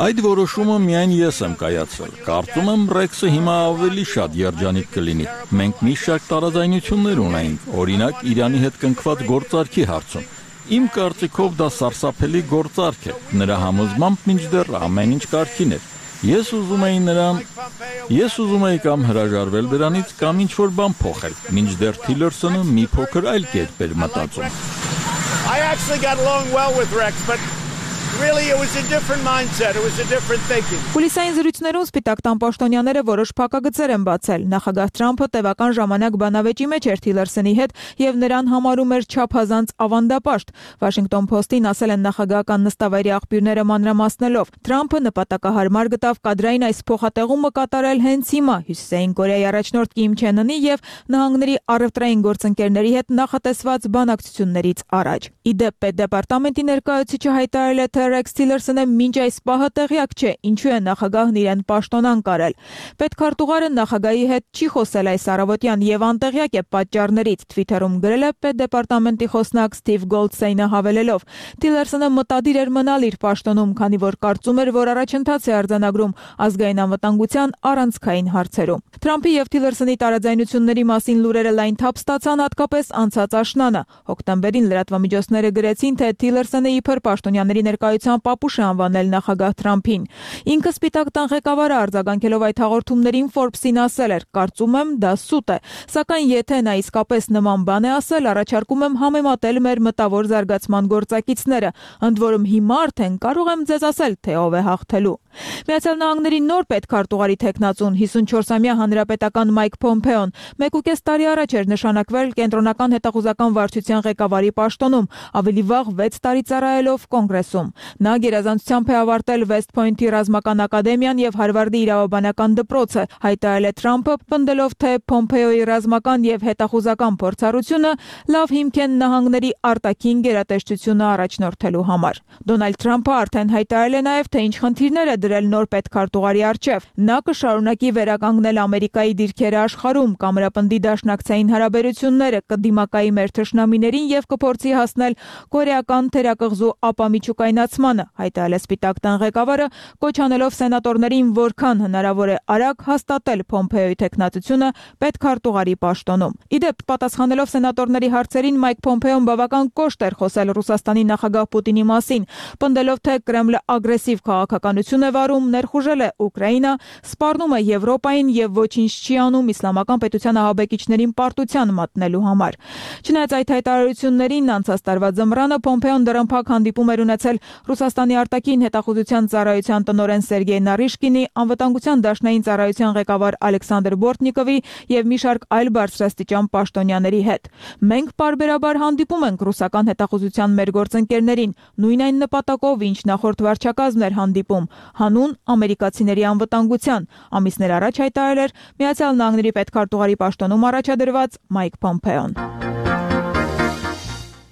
Այդ որոշումը միայն ես եմ կայացրել։ Կարծում եմ Ռեքսը հիմա ավելի շատ երջանիկ կլինի։ Մենք մի շարք տարաձայնություններ ունենք, օրինակ Իրանի հետ կնքված գործարքի հարցում։ Իմ կարծիքով դա սարսափելի գործարք է։ Նրա համոզմամբ մինչդեռ ամեն ինչ կարգին էր։ Ես ուզում էի նրան, ես ուզում էի կամ հրաժարվել դրանից, կամ ինչ-որ բան փոխել։ Մինչդեռ Թիլերսոնը մի փոքր այլ կերպ էր մտածում։ I actually got along well with Rex, but really it was a different mindset, it was a different thinking. Պոլիսային զրույցներում Սպիտակ տան պաշտոնյաները որոշ փակագծեր են բացել։ Նախագահ Թրամփը տևական ժամանակ բանավեճի մեջ էր Թիլերսոնի հետ եւ նրան համարում էր չափազանց ավանդապաշտ։ Վաշինգտոն Փոստին ասել են նախագահական նստավայրի աղբյուրները մանրամասնելով։ Թրամփը նպատակահարմար գտավ կադրային այս փոխատեղումը կատարել հենց հիմա Հյուսիսային Կորեայի առաջնորդ Կիմ Չեն Ընի եւ նահանգների առևտրային գործընկերների հետ նախատեսված բանակցություններից առաջ։ Իդեպ պետդեպարտամենտի ներկայացուցիչը հայտարարել է, թե Ռեքս Թիլերսոնը մինչ այս պահը տեղյակ չէ, ինչու է նախագահն իրեն պաշտոնանկ արել։ Պետքարտուղարը նախագահի հետ չի խոսել այս առավոտյան եւ անտեղյակ է պատճառներից, Թվիթերում գրել է պետդեպարտամենտի խոսնակ Սթիվ Գոլդստեյնը հավելելով. Թիլերսոնը մտադիր էր մնալ իր պաշտոնում, քանի որ կարծում էր, որ առաջընթաց է արձանագրում ազգային անվտանգության առանցքային հարցերում։ Թրամփի եւ Թիլերսոնի տարաձայնությունների մասին լուրերը լայն թափ ստացան հատկապես անցած աշնանը։ Հոկտեմբերին լրատվամիջոցները գրեցին, թե Թիլերսոնը իբր պաշտոնյաների ներկայության պապուշ է անվանել նախագահ Թրամփին։ Ինքը Սպիտակ տան ղեկավարը արձագանքելով այդ հաղորդումներին Forbes-ին ասել էր. «Կարծում եմ, դա սուտ է, սակայն եթե նա իսկապես նման բան է ասել, առաջարկում եմ համեմատել մեր մտավոր զարգացման գործակիցները, ընդ որում հիմա արդեն կարող եմ ձեզ ասել, թե ով է հաղթելու»։ Միացյալ Նահանգների նոր պետքարտուղարի տեխնացուն հիսունչորսամյա հանրապետական Մայք Փոմփեոն մեկուկես տարի առաջ էր նշանակվել կենտրոնական հետախուզական վարչության ղեկավարի պաշտոնում, ավելի վաղ վեց տարի ծառայելով Կոնգրեսում։ Նա գերազանցությամբ է ավարտել West Point-ի ռազմական ակադեմիան եւ Հարվարդի իրավաբանական դպրոցը, հայտարարել է Թրամփը, պնդելով, թե Պոմպեոյի ռազմական եւ հետախուզական փորձառությունը լավ հիմք են նահանգների արտաքին գերատեսչությունը առաջնորդելու համար։ Դոնալդ Թրամփը արդեն հայտարարել է նաեւ, թե ինչ խնդիրներ է դրել նոր պետքարտուղարի առջև։ Նա կշարունակի վերականգնել Ամերիկայի դիրքերը աշխարհում, կամրապնդի դաշնակցային հարաբերությունները, կդիմակայի մեր թշնամիներին եւ կփորձի հասնել կորեական թերակղզու ապամիջուկայնացմանը, հայտարարել է Սպիտակ տան ղեկավարը, կոչ անելով սենատորներին որքան հնարավոր է արագ հաստատել Պոմպեոյի տեխնատությունը պետքարտուղարի պաշտոնում։ Իդեպ, պատասխանելով սենատորների հարցերին, Մայք Պոմպեոն բավական կոշտ էր խոսել Ռուսաստանի նախագահ Պուտինի մասին, պնդելով, թե Կրեմլը ագրեսիվ քաղաքականություն է վարում, ներխուժել է Ուկրաինա, սպառնում է Եվրոպային եւ ոչինչ չի անում իսլամական պետության ահաբեկիչներին պարտության մատնելու համար։ Չնայած այդ հայտարարություններին, անցած տարվա ձմռանը Պոմպեոն դռնփակ հանդիպում էր ունեցել Ռուսաստանի արտաքին հետախուզության ծառայության տնօրեն Սերգեյ Նարիշկինի, անվտանգության դաշնային ծառայության ղեկավար Ալեքսանդր Բորտնիկովի եւ մի շարք այլ բարձրաստիճան պաշտոնյաների հետ։ Մենք պարբերաբար հանդիպում ենք ռուսական հետախուզության մեր գործընկերներին, նույն այն նպատակով, ինչ նախորդ վարչակազմն էր հանդիպում, հանուն ամերիկացիների անվտանգության, ամիսներ առաջ հայտարարել էր Միացյալ Նահանգների պետքարտուղարի պաշտոնում առաջադրված Մայք Պոմպեոն։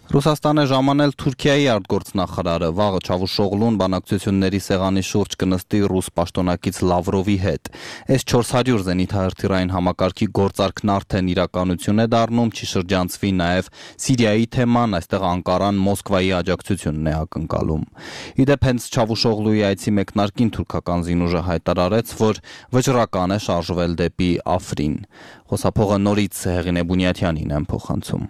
Ռուսաստան է ժամանել Թուրքիայի արտգործնախարարը, վաղը Չավուշօղլուն բանակցությունների սեղանի շուրջ կնստի ռուս պաշտոնակից Լավրովի հետ։ Էս չորս հարյուր զենիթահրթիռային համակարգի գործարքն արդեն իրականություն է դառնում, չի շրջանցվի նաև Սիրիայի թեման, այստեղ Անկարան Մոսկվայի աջակցությունն է ակնկալում։ Իդեպ հենց Չավուշօղլուի այցի մեկնարկին թուրքական զինուժը հայտարարեց, որ վճռական է շարժվել դեպի Աֆրին։ Խոսափողը նորից Հեղինե Բունյաթյանին են փոխանցում։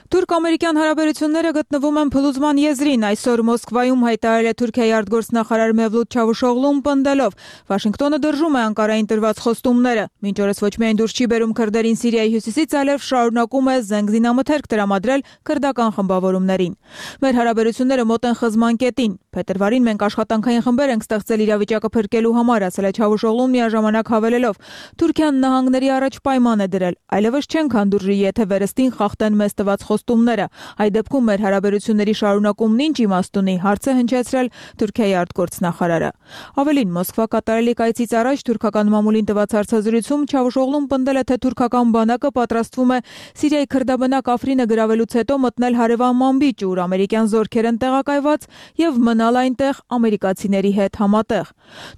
Թուրք-ամերիկյան հարաբերությունները գտնվում են փլուզման եզրին, այսօր Մոսկվայում հայտարարել է Թուրքիայի արտգործնախարար Մեվլութ Չավուշօղլուն, պնդելով. Վաշինգտոնը դրժում է Անկարային տրված խոստումները, մինչ օրս ոչ միայն դուրս չի բերում քրդերին Սիրիայի հյուսիսից, այլև շարունակում է զենք զինամթերք տրամադրել քրդական խմբավորումներին։ Մեր հարաբերությունները մոտ են խզման կետին։ Փետրվարին մենք աշխատանքային խմբեր ենք ստեղծել իրավիճակը փրկելու համար, ասել է Չավուշօղլուն միաժամանակ հավելելով. Թուրքիան նահանգների առաջ պայման է դրել, այլևս չենք հանդուրժի, եթե վերստին խախտեն մեզ տված խոստումները։ Այդ դեպքում մեր հարաբերությունների շարունակումն ինչ իմաստ ունի, հարց է հնչեցրել Թուրքիայի արտգործնախարարը։ Ավելին, Մոսկվա կատարելիք այցից առաջ թուրքական մամուլին տված հարցազրույցում Չավուշօղլուն պնդել է, թե թուրքական բանակը պատրաստվում է Սիրիայի քրդաբնակ Աֆրինը գրավելուց հետո մտնել հարևան Մանբիջ, ուր ամերիկյան զորքեր են տեղակայված, եւ մնալ այնտեղ ամերիկացիների հետ համատեղ։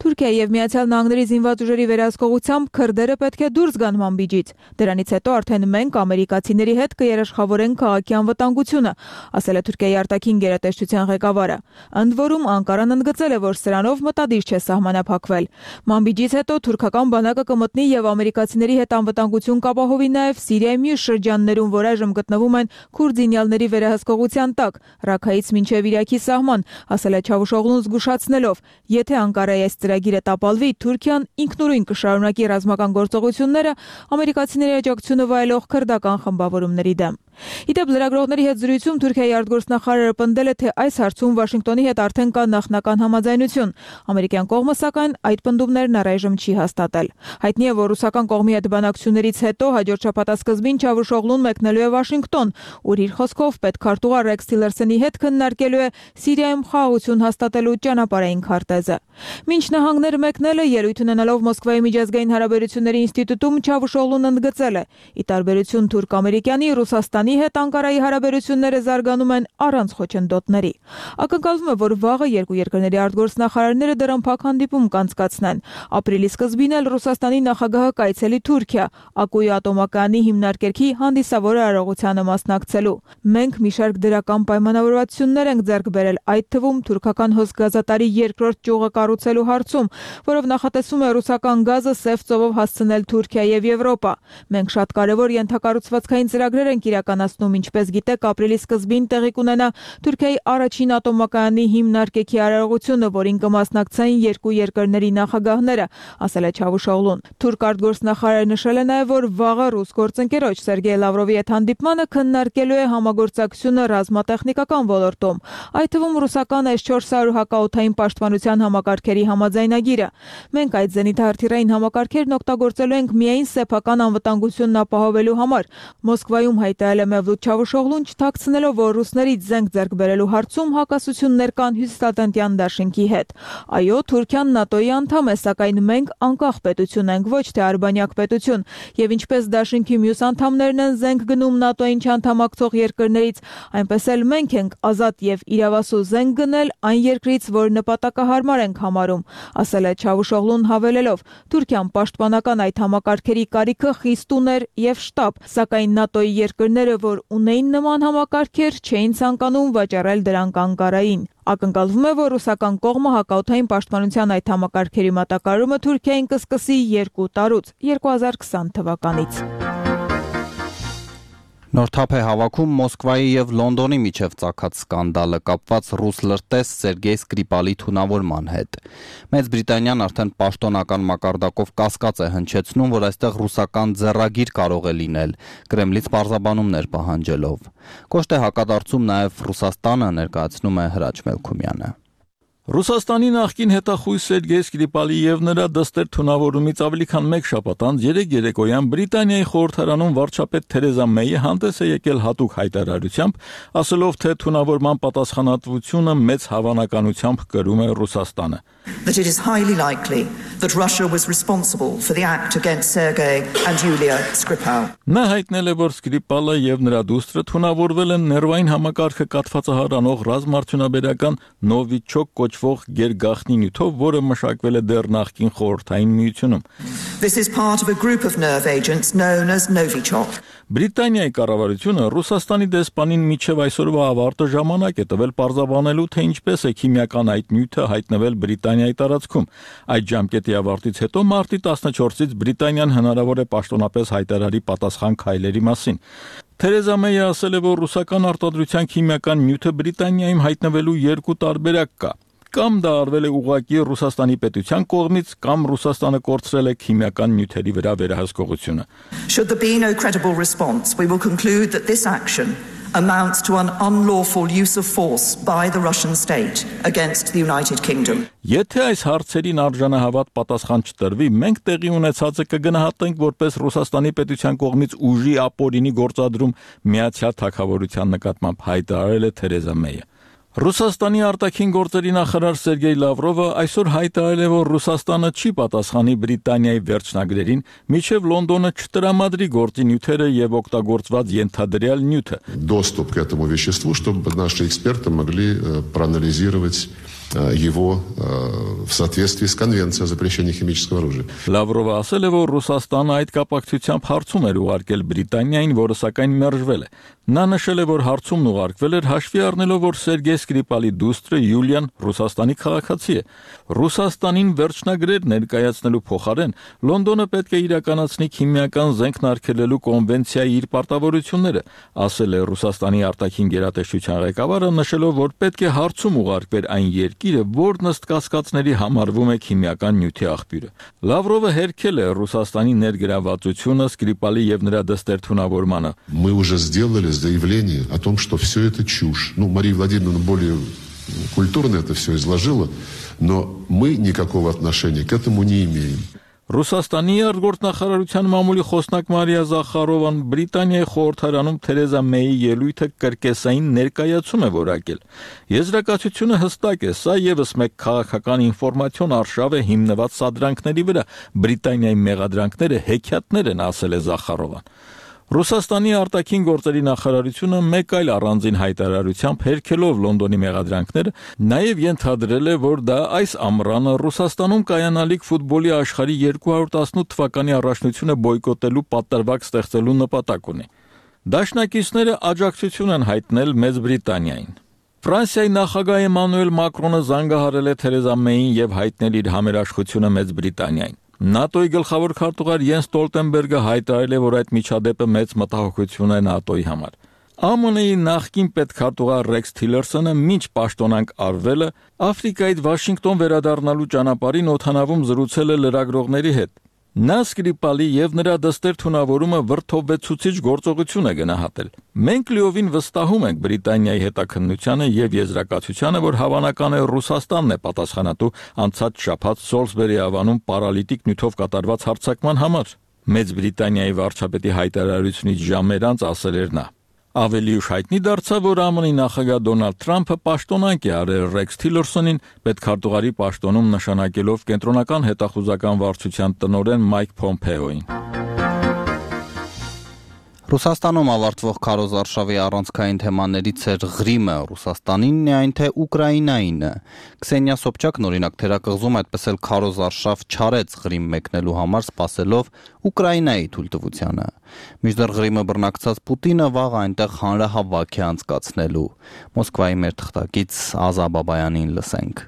Թուրքիայի եւ Միացյալ Նահանգների զինված ուժերի վերահսկողությամբ քրդերը պետք է դուրս գան Մանբիջից։ Դրանից հետո արդեն մենք ամերիկացիների հետ կերաշխավորենք քաղաքի անվտանգությունը, ասել է Թուրքիայի արտաքին գերատեսչության ղեկավարը։ Ընդ որում Անկարան ընդգծել է, որ սրանով մտադիր չէ սահմանափակվել։ Մանբիջից հետո թուրքական բանակը կմտնի եւ ամերիկացիների հետ անվտանգություն կապահովի նաեւ Սիրիայի մյուս շրջաններում, որ այժմ գտնվում են քուրդ զինյալների վերահսկողության տակ, Ռաքայից մինչեւ Իրաքի սահման, ասել է Չավուշօղլուն զգուշացնելով. եթե Անկարայի այս ծրագիրը տապալվի, Թուրքիան ինքնուրույն կշարունակի ռազմական գործողությունները ամերիկացիների աջակցությունը վայելող քրդական խմբավորումների դեմ։ Իդեպ լրագրողների հետ զրույցում Թուրքիայի արտգործնախարարը պնդել է, թե այս հարցում Վաշինգտոնի հետ արդեն կա նախնական համաձայնություն։ Ամերիկյան կողմը, սակայն, այդ պնդումներն առայժմ չի հաստատել։ Հայտնի է, որ ռուսական կողմի հետ բանակցություններից հետո հաջորդ շաբաթ սկզբին Չավուշօղլուն մեկնելու է Վաշինգտոն, ուր իր խոսքով պետքարտուղար Ռեքս Թիլերսոնի հետ քննարկելու է Սիրիայում խաղաղություն հաստատելու ճանապարհային քարտեզը։ Մինչ նահանգներ մեկնելը ելույթ ունենալով Մոսկվայի միջազգային հարաբերությունների ինստիտուտում Չավուշօղլուն ընդգծել է. ի տարբերություն թուրք-ամերիկյանի, Ռուսաստանի հետ Անկարայի հարաբերությունները զարգանում են առանց խոչընդոտների։ Ակնկալվում է, որ վաղը երկու երկրների արտգործնախարարները դռնփակ հանդիպում կանցկացնեն։ Ապրիլի սկզբին էլ Ռուսաստանի նախագահը կայցելի Թուրքիա, Ակուի ատոմակայանի հիմնարկերքի հանդիսավոր արարողությանը մասնակցելու։ Մենք մի շարք դրական պայմանավորվածություններ ենք ձեռք բերել, այդ թվում թուրքական հոսգազատարի երկրորդ ճյուղը կառուցելու հարցում, որով նախատեսվում է ռուսական գազը Սև ծովով հասցնել Թուրքիա եւ Եվրոպա։ Մենք շատ կարևոր ենթակառուցվածքային ծրագրեր ենք իրականացնում, ինչպես գիտեք, ապրիլի սկզբին տեղի կունենա Թուրքիայի առաջին ատոմակայանի հիմնարկեքի արարողությունը, որին կմասնակցեն երկու երկրների նախագահները, ասել է Չավուշօղլուն։ Թուրք արտգործնախարարը նշել է նաև, որ վաղը ռուս գործընկերոջ Սերգեյ Լավրովի հետ հանդիպմանը քննարկելու է համագործակցությունը ռազմատեխնիկական ոլորտում, այդ թվում ռուսական էս չորս հարյուր հակաօդային պաշտպանության համակարգերի համաձայնագիրը։ Մենք այդ զենիթահրթիռային համակարգերն օգտագործելու ենք միայն սեփական անվտանգությունն ապահովելու համար, Մոսկվայում հայտարարել Նշել է Մևլութ Չավուշօղլուն, չթաքցնելով, որ ռուսներից զենք ձեռք բերելու հարցում հակասություններ կան Հյուսիսատլանտյան դաշինքի հետ։ Այո, Թուրքիան ՆԱՏՕ-ի անդամ է, սակայն մենք անկախ պետություն ենք, ոչ թե արբանյակ պետություն, եւ ինչպես դաշինքի մյուս անդամներն են զենք գնում ՆԱՏՕ-ին չանդամակցող երկրներից, այնպես էլ մենք ենք ազատ եւ իրավասու զենք գնել այն երկրից, որ նպատակահարմար ենք համարում, ասել է Չավուշօղլուն հավելելով. Թուրքիան պաշտպանական այդ համակարգերի կարիքը խիստ ուներ եւ շտապ, սակայն ՆԱՏՕ-ի երկրները, որ ունեին նման համակարգեր, չէին ցանկանում վաճառել դրանք Անկարային։ Ակնկալվում է, որ ռուսական կողմը հակաօդային պաշտպանության այդ համակարգերի մատակարարումը Թուրքիային կսկսի երկու տարուց, երկու հազար քսան թվականից։ Նոր թափ է հավաքում Մոսկվայի եւ Լոնդոնի միջև ծագած սկանդալը կապված ռուս լրտես Սերգեյ Սկրիպալի թունավորման հետ։ Մեծ Բրիտանիան արդեն պաշտոնական մակարդակով կասկած է հնչեցնում, որ այստեղ ռուսական ձեռագիր կարող է լինել, Կրեմլից պարզաբանումներ պահանջելով։ Կոշտ է հակադարձում նաեւ Ռուսաստանը, ներկայացնում է Հրաչ Մելքումյանը։ Ռուսաստանի նախկին հետախույզ Սերգեյ Սկրիպալի եւ նրա դստեր թունավորումից ավելի քան մեկ շաբաթ անց երեք երեկոյան Բրիտանիայի խորհրդարանում վարչապետ Թերեզա Մեյը հանդես է եկել հատուկ հայտարարությամբ, ասելով, թե թունավորման պատասխանատվությունը մեծ հավանականությամբ կրում է Ռուսաստանը։ That it is highly likely that Russia was responsible for the act against Sergei and Yulia Skripal. Նա հայտնել է, որ Սկրիպալը եւ նրա դուստրը թունավորվել են ներվային համակարգը կաթվածահարանող ռազմարդյունաբերական Նովիչոկ կոչվող գերգաղտնի նյութով, որը մշակվել է դեռ նախկին խորհրդային միությունում։ This is part of a group of nerve agents known as Novichok. Բրիտանիայի կառավարությունը Ռուսաստանի դեսպանին միջև այսօրվա ավարտը ժամանակ է տվել պարզաբանելու, թե ինչպես է քիմիական այդ նյութը հայտնվել Բրիտանիայի տարածքում։ Այդ ժամկետի ավարտից հետո մարտի տասնչորսից Բրիտանիան հնարավոր է պաշտոնապես հայտարարի պատասխան քայլերի մասին։ Թերեզա Մեյը ասել է, որ ռուսական արտադրության քիմիական նյութը Բրիտանիայում հայտնվելու երկու տարբերակ կա։ Կամ դա արվել է ուղղակի Ռուսաստանի պետության կողմից, կամ Ռուսաստանը կորցրել է քիմիական նյութերի վրա վերահսկողությունը։ Should there be no credible response, we will conclude that this action amounts to an unlawful use of force by the Russian state against the United Kingdom. Եթե այս հարցերին արժանահավատ պատասխան չտրվի, մենք տեղի ունեցածը կգնահատենք որպես Ռուսաստանի պետության կողմից ուժի ապօրինի գործադրում Միացյալ Թագավորության նկատմամբ, հայտարարել է Թերեզա Մեյը։ Ռուսաստանի արտաքին գործերի նախարար Սերգեյ Լավրովը այսօր հայտարարել է, որ Ռուսաստանը չի պատասխանի Բրիտանիայի վերջնագրերին, մինչև Լոնդոնը չտրամադրի գործի նյութերը եւ օգտագործված ենթադրյալ նյութը։ Доступ к этому веществу, чтобы наши эксперты могли проанализировать его в соответствии с Конвенцией о запрещении химического оружия. Լավրովը ասել է, որ Ռուսաստանը այդ կապակցությամբ հարցում էր ուղարկել Բրիտանիային, որը սակայն մերժվել է։ Նա նշել է, որ հարցումն ուղարկվել էր հաշվի առնելով, որ Սերգեյ Սկրիպալի դուստրը Յուլիան Ռուսաստանի քաղաքացի է։ Ռուսաստանին վերջնագրեր ներկայացնելու փոխարեն Լոնդոնը պետք է իրականացնի քիմիական զենք արգելելու կոնվենցիայի իր պարտավորությունները, ասել է Ռուսաստանի արտաքին գերատեսչության ղեկավարը, նշելով, որ պետք է հարցում ուղարկվեր այն երկիրը, որն ըստ կասկածների համարվում է քիմիական նյութի աղբյուրը։ Լավրովը հերքել է Ռուսաստանի ներգրավվածությունը Սկրիպալի եւ նրա դստեր թունավորմանը։ Мы уже сделали заявление о том, что все это чушь. Ну, Мария Владимировна более культурно это все изложила, но мы никакого отношения к этому не имеем. Ռուսաստանի արտգործնախարարության մամուլի խոսնակ Մարիա Զախարովան Բրիտանիայի խորհրդարանում Թերեզա Մեյի ելույթը կրկեսային ներկայացում է որակել։ Եզրակացությունը հստակ է, սա եւս մեկ քաղաքական ինֆորմացիոն արշավ է հիմնված սադրանքների վրա։ Բրիտանիայի մեղադրանքները հեքիաթներ են, ասել է Զախարովան։ Ռուսաստանի արտաքին գործերի նախարարությունը մեկ այլ առանձին հայտարարությամբ հերքելով Լոնդոնի մեղադրանքները նաև ենթադրել է, որ դա այս ամռանը Ռուսաստանում կայանալիք ֆուտբոլի աշխարհի երկու հարյուր տասնութ թվականի առաջնությունը բոյկոտելու պատրվակ ստեղծելու նպատակ ունի։ Դաշնակիցները աջակցություն են հայտնել Մեծ Բրիտանիային։ Ֆրանսիայի նախագահ Էմանուել Մակրոնը զանգահարել է Թերեզա Մեյին եւ հայտնել իր համերաշխությունը Մեծ Բրիտանիային։ ՆԱՏՕ-ի գլխավոր քարտուղար Յենս Ստոլտենբերգը հայտարարել է, որ այդ միջադեպը մեծ մտահոգություն է ՆԱՏՕ-ի համար։ ԱՄՆ-ի նախկին պետքարտուղար Ռեքս Թիլերսոնը մինչ պաշտոնանկ արվելը Աֆրիկայից Վաշինգտոն վերադառնալու ճանապարհին օդանավում զրուցել է լրագրողների հետ։ Նա Սկրիպալի եւ նրա դստեր թունավորումը վրթովվեցուցիչ գործողություն է գնահատել։ Մենք լիովին վստահում ենք Բրիտանիայի հետաքննությանը եւ եզրակացությանը, որ հավանական է Ռուսաստանն է պատասխանատու անցած շաբաթ Սոլսբերի ավանում պարալիտիկ նյութով կատարված հարձակման համար։ Մեծ Բրիտանիայի վարչապետի հայտարարությունից ժամեր անց ասել էր նա. Ավելի ուշ հայտնի դարձավ, որ ԱՄՆ-ի նախագահ Դոնալդ Թրամփը պաշտոնանկ է արել Ռեքս Թիլերսոնին պետքարտուղարի պաշտոնում նշանակելով կենտրոնական հետախուզական վարչության տնօրեն Մայք Փոմփեոին։ Ռուսաստանում ավարտվող քարոզարշավի առանցքային թեմաներից էր Ղրիմը, Ռուսաստանինն է, այն թե Ուկրաինայինը։ Քսենիա Սոբչակն օրինակ թերակղզում այդպես էլ քարոզարշավ չարեց Ղրիմ մեկնելու համար, սպասելով Ուկրաինայի թույլտվությանը։ Մինչդեռ Ղրիմը բռնակցած Պուտինը վաղ այնտեղ հանրահավաք է անցկացնելու։ Մոսկվայի մեր թղթակից Ազա Բաբայանին լսենք։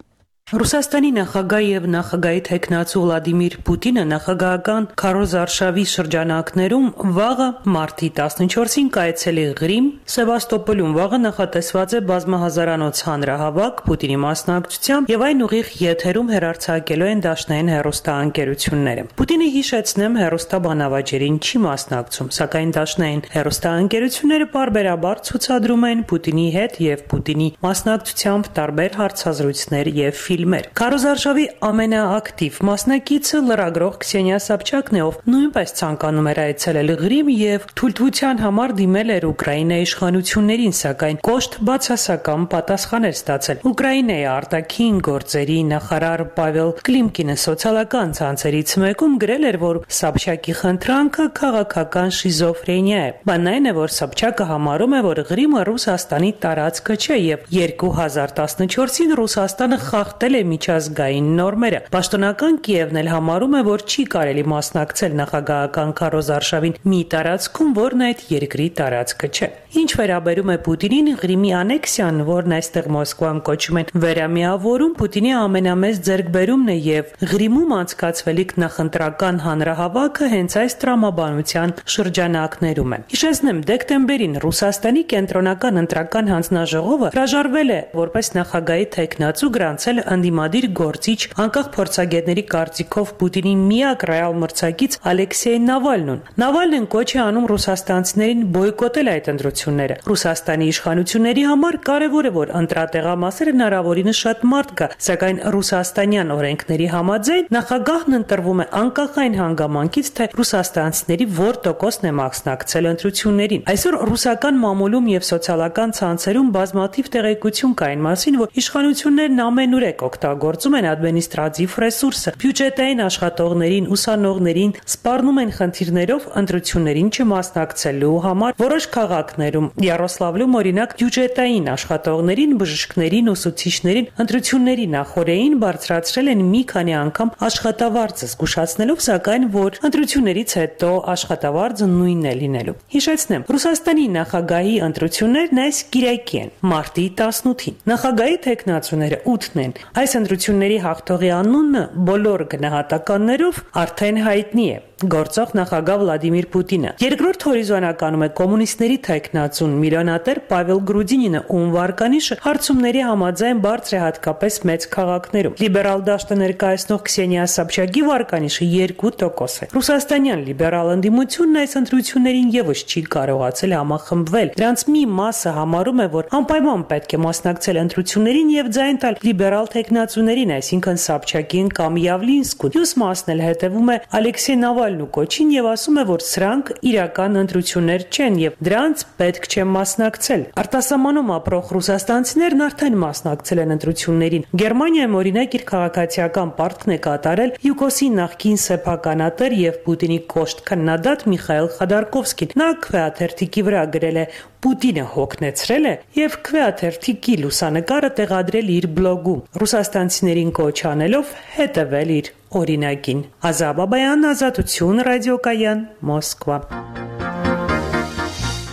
Ռուսաստանի նախագահ եւ նախագահի տեխնացու Վլադիմիր Պուտինը նախագահական քարոզարշավի շրջանակներում վաղը մարտի տասնչորսին կայացել է Ղրիմ, Սևաստոպոլում վաղը նախատեսված է բազմահազարանոց հանրահավաք Պուտինի մասնակցությամբ եւ այն ուղիղ եթերում հեռարձակելու են դաշնային հեռուստաընկերությունները։ Պուտինը հիշեցնեմ հեռուստաբանավաճերին չի մասնակցում, սակայն դաշնային հեռուստաընկերությունները պարբերաբար ցուցադրում են Պուտինի հետ եւ Պուտինի մասնակցությամբ տարբեր հարցազրույցներ եւ ֆիլմեր։ Քարոզարշավի ամենաակտիվ մասնակիցը լրագրող Քսենիա Սոբչակն է, ով նույնպես ցանկանում էր այցելել Ղրիմ եւ թույլտվության համար դիմել էր Ուկրաինայի իշխանություններին, սակայն կոշտ բացասական պատասխան էր ստացել։ Ուկրաինայի արտաքին գործերի նախարար Պավել Կլիմկինը սոցիալական ցանցերից մեկում գրել էր, որ Սոբչակի խնդրանքը քաղաքական շիզոֆրենիա է։ Բանն այն է, որ Սոբչակը համարում է, որ Ղրիմը Ռուսաստանի տարածքը չէ եւ երկու հազար տասնչորսին Ռուսաստանը խախտել է միջազգային նորմերը։ Պաշտոնական Կիևն էլ համարում է, որ չի կարելի մասնակցել նախագահական քարոզարշավին մի տարածքում, որն այդ երկրի տարածքը չէ։ Ինչ վերաբերում է Պուտինին, Ղրիմի անեքսիան, որն այստեղ Մոսկվան կոչում են վերամիավորում, Պուտինի ամենամեծ ձեռքբերումն է եւ Ղրիմում անցկացվելիք նախընտրական հանրահավաքը հենց այս տրամաբանության շրջանակներում է։ Հիշեցնեմ, դեկտեմբերին Ռուսաստանի կենտրոնական ընտրական հանձնաժողովը հրաժարվել է որպես նախագահի տեխնացու գրանցել անդիմադիր գործիչ անկախ փորձագետների կարծիքով Պուտինի միակ ռեալ մրցակից Ալեքսեյ Նավալնուն։ Նավալնին կոչ է անում ռուսաստանցիներին բոյկոտել այդ ընտրությունները։ Ռուսաստանի իշխանությունների համար կարևոր է, որ ընտրատեղամասերը հնարավորինս շատ մարդ գա, սակայն ռուսաստանյան օրենքների համաձայն նախագահն ընտրվում է անկախ այն հանգամանքից, թե ռուսաստանցիների որ տոկոսն է մասնակցել ընտրություններին։ Այսօր ռուսական մամուլում եւ սոցիալական ցանցերում բազմաթիվ տեղեկություն կա այն մասին, որ իշխանություններն ամենուրեք օգտագործում են ադմինիստրատիվ ռեսուրսը, բյուջետային աշխատողներին, ուսանողներին սպառնում են խնդիրներով ընտրություններին չմասնակցելու համար։ Որոշ քաղաքներում, Յարոսլավլում օրինակ, բյուջետային աշխատողներին, բժիշկներին, ուսուցիչներին ընտրությունների նախօրեին բարձրացրել են մի քանի անգամ աշխատավարձը, զգուշացնելով սակայն, որ ընտրություններից հետո աշխատավարձը նույնն է լինելու։ Հիշեցնեմ, Ռուսաստանի նախագահի ընտրություններն այս կիրակի են, մարտի տասնութին։ Նախագահի տեխնացուները ութն են։ Այս ընտրությունների հաղթողի անունը բոլոր գնահատականներով արդեն հայտնի է։ Գործող նախագահ Վլադիմիր Պուտինը։ Երկրորդ հորիզոնականում է կոմունիստների տեխնացուն միլիոնատեր Պավել Գրուդինինը, ում վարկանիշը հարցումների համաձայն բարձր է հատկապես մեծ քաղաքներում։ Լիբերալ դաշտը ներկայացնող Քսենիա Սոբչակի վարկանիշը երկու տոկոս է։ Ռուսաստանյան լիբերալ ընդդիմությունն այս ընտրություններին եւս չի կարողացել համախմբվել։ Դրանց մի մասը համարում է, որ անպայման պետք է մասնակցել ընտրություններին եւ ձայն տալ լիբերալ տեխնացուներին, այսինքն Սոբչակին կամ Յավլինսկուն։ Մյուս մասն էլ հետևում է Ալեքսեյ Նավալնու կոչին եւ ասում է, որ սրանք իրական ընտրություններ չեն եւ դրանց պետք չէ մասնակցել։ Արտասահմանում ապրող ռուսաստանցիներն արդեն մասնակցել են ընտրություններին։ Գերմանիայում օրինակ իր քաղաքացիական պարտքն է կատարել յուկոսի նախկին սեփականատեր եւ Պուտինի կոշտ քննադատ Միխայել Խադարկովսկին։ Նա քվեաթերթիկի վրա գրել է. Պուտինը հոգնեցրել է եւ քվեաթերթիկի լուսանկարը տեղադրել իր բլոգում, ռուսաստանցիներին կոչ անելով հետևել իր օրինակին։ Ազա Բաբայան, Ազատություն, ռադիոկայան, Մոսկվա։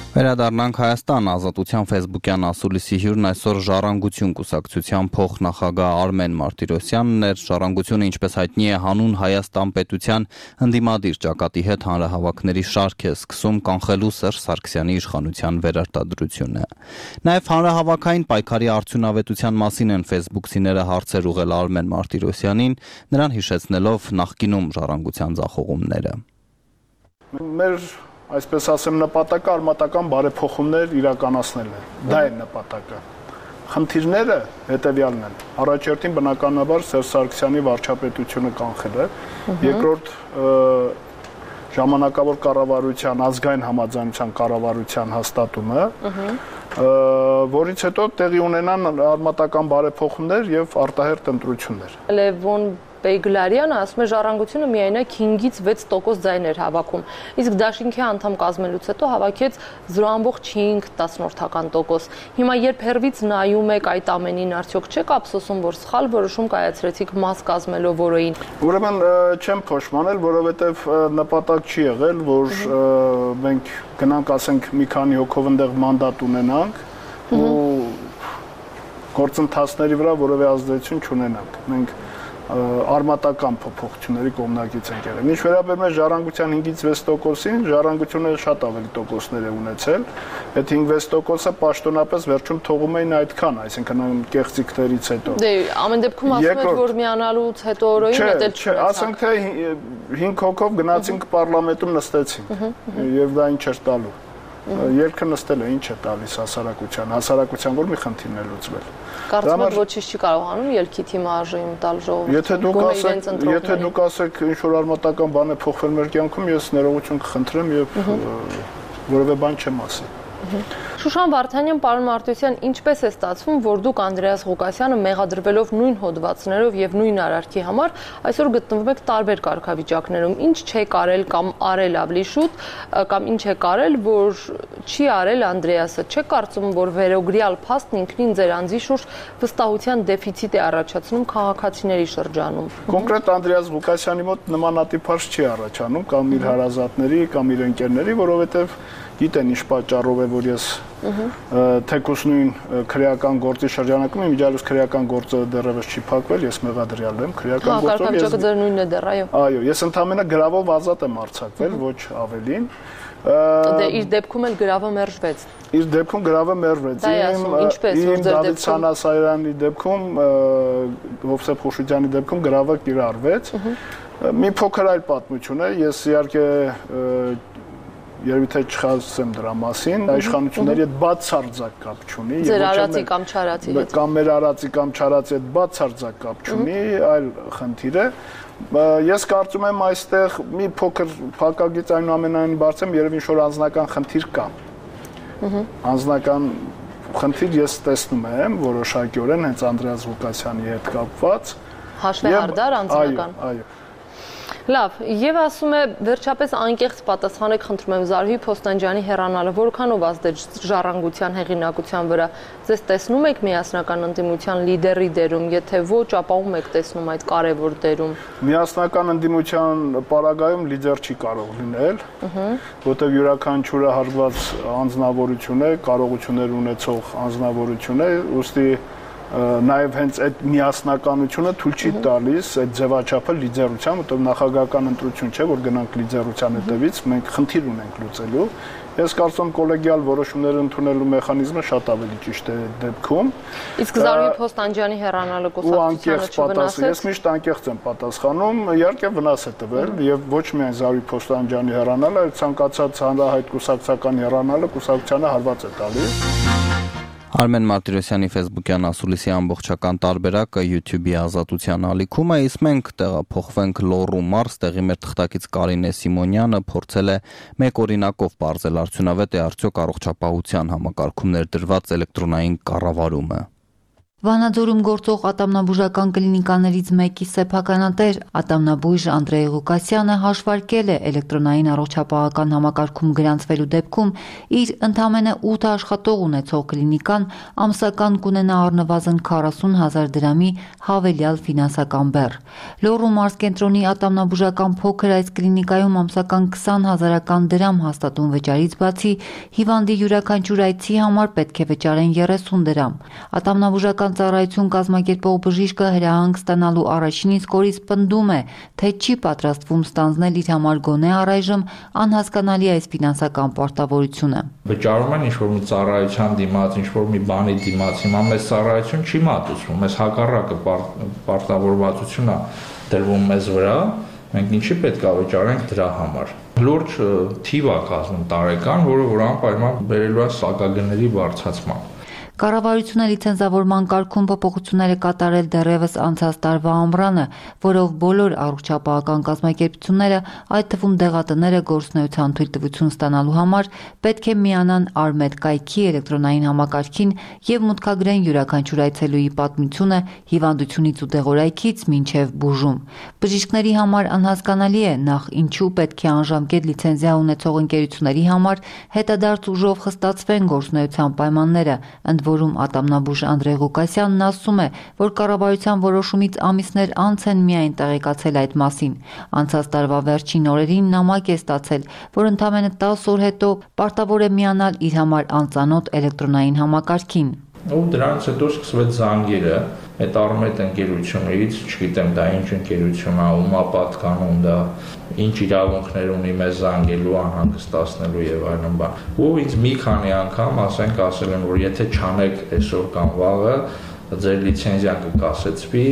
Վերադառնանք Հայաստան, Ազատության ֆեյսբուքյան ասուլիսի հյուրն այսօր Ժառանգություն կուսակցության փոխնախագահ Արմեն Մարտիրոսյանն էր։ Ժառանգությունը, ինչպես հայտնի է, հանուն Հայաստան պետության ընդդիմադիր ճակատի հետ հանրահավաքների շարք է սկսում կանխելու Սերժ Սարգսյանի իշխանության վերարտադրությունը։ Նաև հանրահավաքային պայքարի արդյունավետության մասին են ֆեյսբուքցիները հարցեր ուղղել Արմեն Մարտիրոսյանին, նրան հիշեցնելով նախկինում Ժառանգության ձախողումները։ Մեր այսպես ասեմ, նպատակը արմատական բարեփոխումներ իրականացնելն է։ Դա է նպատակը։ Խնդիրները հետևյալն են։ Առաջերտին բնականաբար Սերժ Սարգսյանի վարչապետությունը կանխելը, երկրորդ ժամանակավոր կառավարության ազգային համաձայնության կառավարության հաստատումը, որից հետո տեղի ունենան արմատական բարեփոխումներ եւ արտահերթ ընտրություններ։ Լևոն Բեգլարյանը ասում է ժառանգությունը միայնակ հինգից վեց տոկոս ձայներ հավաքում, իսկ դաշինքի անդամ կազմելուց հետո հավաքեց զրո բամբողջ հինգ տասնորդական տոկոս։ Հիմա երբ հերվից նայում եք այդ ամենին, արդյոք չեք ափսոսում, որ սխալ որոշում կայացրեցիք մաս կազմելով որոյին։ Ուրեմն չեմ փոշմանել, որովհետեւ նպատակ չի եղել, որ մենք գնանք, ասենք, մի քանի հոգով այնտեղ մանդատ ունենանք ու գործընթացների վրա որևէ ազդեցություն չունենանք։ Մենք արմատական փոփոխությունների կողմնակից ենք եղել։ Ինչ վերաբերում է ժառանգության հինգից վեց տոկոսին, ժառանգությունը շատ ավելի տոկոսներ է ունեցել։ Այդ հինգ-վեց տոկոսը պաշտոնապես վերջում թողում էին այդքան, այսինքն կեղծիքներից հետո։ Դե ամեն դեպքում ասում եք, որ միանալուց հետո օրոյին հետել չունեցաք։ Ասենք թե հինգ հոգով գնացինք պարլամենտում նստեցինք եւ դա ինչ էր տալու։ Երկը նստել է, ինչ է տալիս հասարակության, հասարակության որ մի խնդիրն է լուծվել։ Կարծում եք ոչինչ չի կարողանում ելքի թիմը արժեին տալ ժողովրդին։ Եթե դուք ասեք, եթե դուք ասեք ինչ որ արմատական բան է փոխվել մեր կյանքում, ես ներողություն կխնդրեմ եւ որևէ բան չեմ ասի։ Շուշան Վարդանյան, պարոն Մարտիրոսյան, ինչպես է ստացվում, որ դուք Անդրեաս Ղուկասյանը մեղադրվելով նույն հոդվածներով եւ նույն արարքի համար այսօր գտնվում եք տարբեր կարգավիճակներում, ինչ չեք արել կամ արել ավելի շուտ, կամ ինչ եք արել, որ չի արել Անդրեասը։ Չեք կարծում, որ վերօգրյալ փաստն ինքնին ձեր անձի շուրջ վստահության դեֆիցիտ է առաջացնում քաղաքացիների շրջանում։ Կոնկրետ Անդրեաս Ղուկասյանի մոտ նմանատիպ հարց չի առաջանում, կամ իր հարազատների, կամ իր ընկերների, որովհետեւ գիտեն ինչ պատճառով է, որ ես թեկուզ նույն քրեական գործի շրջանակում իմ իջալուց քրեական գործը դեռևս չի փակվել, ես մեղադրյալ եմ քրեական գործով։ Ես ձեր նույնն է դեռ, այո։ Այո, ես ընդհանրապես գրավով ազատ եմ արձակվել, ոչ ավելին։ Դե իր դեպքում էլ գրավը մերժվեց։ Իր դեպքում գրավը մերժվեց։ Իմ Դավիթ Սանասարյանի դեպքում, Հովսեփ Խուշուջյանի դեպքում գրավը կիրառվեց։ Մի փոքր այլ պատմություն է, ես իհարկե երբ թե չխոսեմ դրա մասին, իշխանությունների հետ բացարձակ կապ չունի։ Ձեր արածի կամ չարածի հետ։ Կամ մեր արածի կամ չարածի հետ բացարձակ կապ չունի, այլ խնդիր է։ Ես կարծում եմ այստեղ մի փոքր փակագից այնուամենայնիվ բարձեմ, երևի ինչ-որ անձնական խնդիր կա։ Անձնական խնդիր ես տեսնում եմ որոշակիորեն հենց Անդրեաս Ղուկասյանի հետ կապված։ Հաշվեհարդար անձնական։ Այո, այո։ Լավ, եւ ասում է վերջապես անկեղծ պատասխանեք, խնդրում եմ, Զարուհի Փոստանջյանի հեռանալը որքանով ազդեց ժառանգության հեղինակության վրա։ Ձեզ տեսնում եք միասնական ընդդիմության լիդերի դերում, եթե ոչ, ապա ում եք տեսնում այդ կարևոր դերում։ Միասնական ընդդիմության պարագայում լիդեր չի կարող լինել, որտեղ յուրաքանչյուրը հարգված անձնավորություն է, կարողություններ ունեցող անձնավորություն է, ուստի նաև հենց այդ միասնականությունը թույլ չի տալիս այդ ձևաչափը լիդերության, որտեղ նախագահական ընտրություն չէ, որ գնանք լիդերության հետևից, մենք խնդիր ունենք լուծելու։ Ես կարծում եմ կոլեգիալ որոշումներ ընդունելու մեխանիզմը շատ ավելի ճիշտ է դեպքում։ Իսկ Զարուհի Փոստանջյանի հեռանալը կուսակցությանը չվնասեց։ Ես միշտ անկեղծ եմ պատասխանում, իհարկե վնաս է տվել եւ ոչ միայն Զարուհի Փոստանջյանի հեռանալը, այլ ցանկացած հանրահայտ կուսակցական հեռանալը կուսակցությանը հարված է տալիս։ Արմեն Մարտիրոսյանի Facebook-յան ասուլիսի ամբողջական տարբերակը YouTube-ի ազատության ալիքում է, իսկ մենք տեղափոխվենք Լոռու մարզ, տեղի մեր թղթակից Կարինե Սիմոնյանը փորձել է մեկ օրինակով բարձել արդյունավետ է արդյոք առողջապահության համակարգում ներդրված էլեկտրոնային կառավարումը։ Վանաձորում գործող ատամնաբուժական կլինիկաներից մեկի սեփականատեր ատամնաբույժ Անդրեյ Ղուկասյանը հաշվարկել է էլեկտրոնային առողջապահական համակարգում գրանցվելու դեպքում իր ընդամենը ութ աշխատող ունեցող կլինիկան ամսական կունենա առնվազն քառասուն հազար դրամի հավելյալ ֆինանսական բեռ։ Լոռու մարզկենտրոնի ատամնաբուժական փոքր այս կլինիկայում ամսական քսան հազարական դրամ հաստատուն վճարից բացի հիվանդի յուրաքանչյուր այցի համար պետք է վճարեն երեսուն դրամ։ Ատամնաբուժական ծառայություն կազմակերպող բժիշկը հրահանգ ստանալու առաջին իսկ օրից պնդում է, թե չի պատրաստվում ստանձնել իր համար գոնե առայժմ անհասկանալի այս ֆինանսական պարտավորությունը։ Վճարում են ինչ-որ մի ծառայության դիմաց, ինչ-որ մի բանի դիմաց, հիմա մեզ ծառայություն չի մատուցվում, մեզ հակառակը պարտավորվածություն է դրվում մեզ վրա, մենք ինչի պետք է վճարենք դրա համար։ Լուրջ թիվ է կազմում տարեկան, որը որ անպայման բերելու է սակագների բարձրացման։ Կառավարությունը լիցենզավորման կարգում փոփոխություններ է կատարել դեռևս անցած տարվա ամռանը, որով բոլոր առողջապահական կազմակերպությունները, այդ թվում դեղատները գործունեության թույլտվություն ստանալու համար պետք է միանան Արմեդ կայքի էլեկտրոնային համակարգին եւ մուտքագրեն յուրաքանչյուր այցելուի պատմությունը հիվանդությունից ու դեղորայքից մինչեւ բուժում։ Բժիշկների համար անհասկանալի է նախ ինչու պետք է անժամկետ լիցենզիա ունեցող ընկերությունների համար հետադարձ ուժով խստացվեն գործունեության պայմանները, ընդ որում ատամնաբույժ Անդրեյ Ղուկասյանն ասում է, որ կառավարության որոշումից ամիսներ անց են միայն տեղեկացել այդ մասին։ Անցած տարվա վերջին օրերին նամակ է ստացել, որ ընդամենը տասը օր հետո պարտավոր է միանալ իր համար անծանոթ էլեկտրոնային համակարգին։ Ու դրանից հետո սկսվեց զանգերը այդ Արմեդ ընկերությունից, չգիտեմ դա ինչ ընկերություն է, ումա պատկանում դա, ինչ իրավունքներ ունի մեզ զանգելու, անհանգստացնելու եւ այլն բան։ Ու ինձ մի քանի անգամ ասենք ասել են, որ եթե չանեք այսօր կամ վաղը, ձեր լիցենզիան կկասեցվի։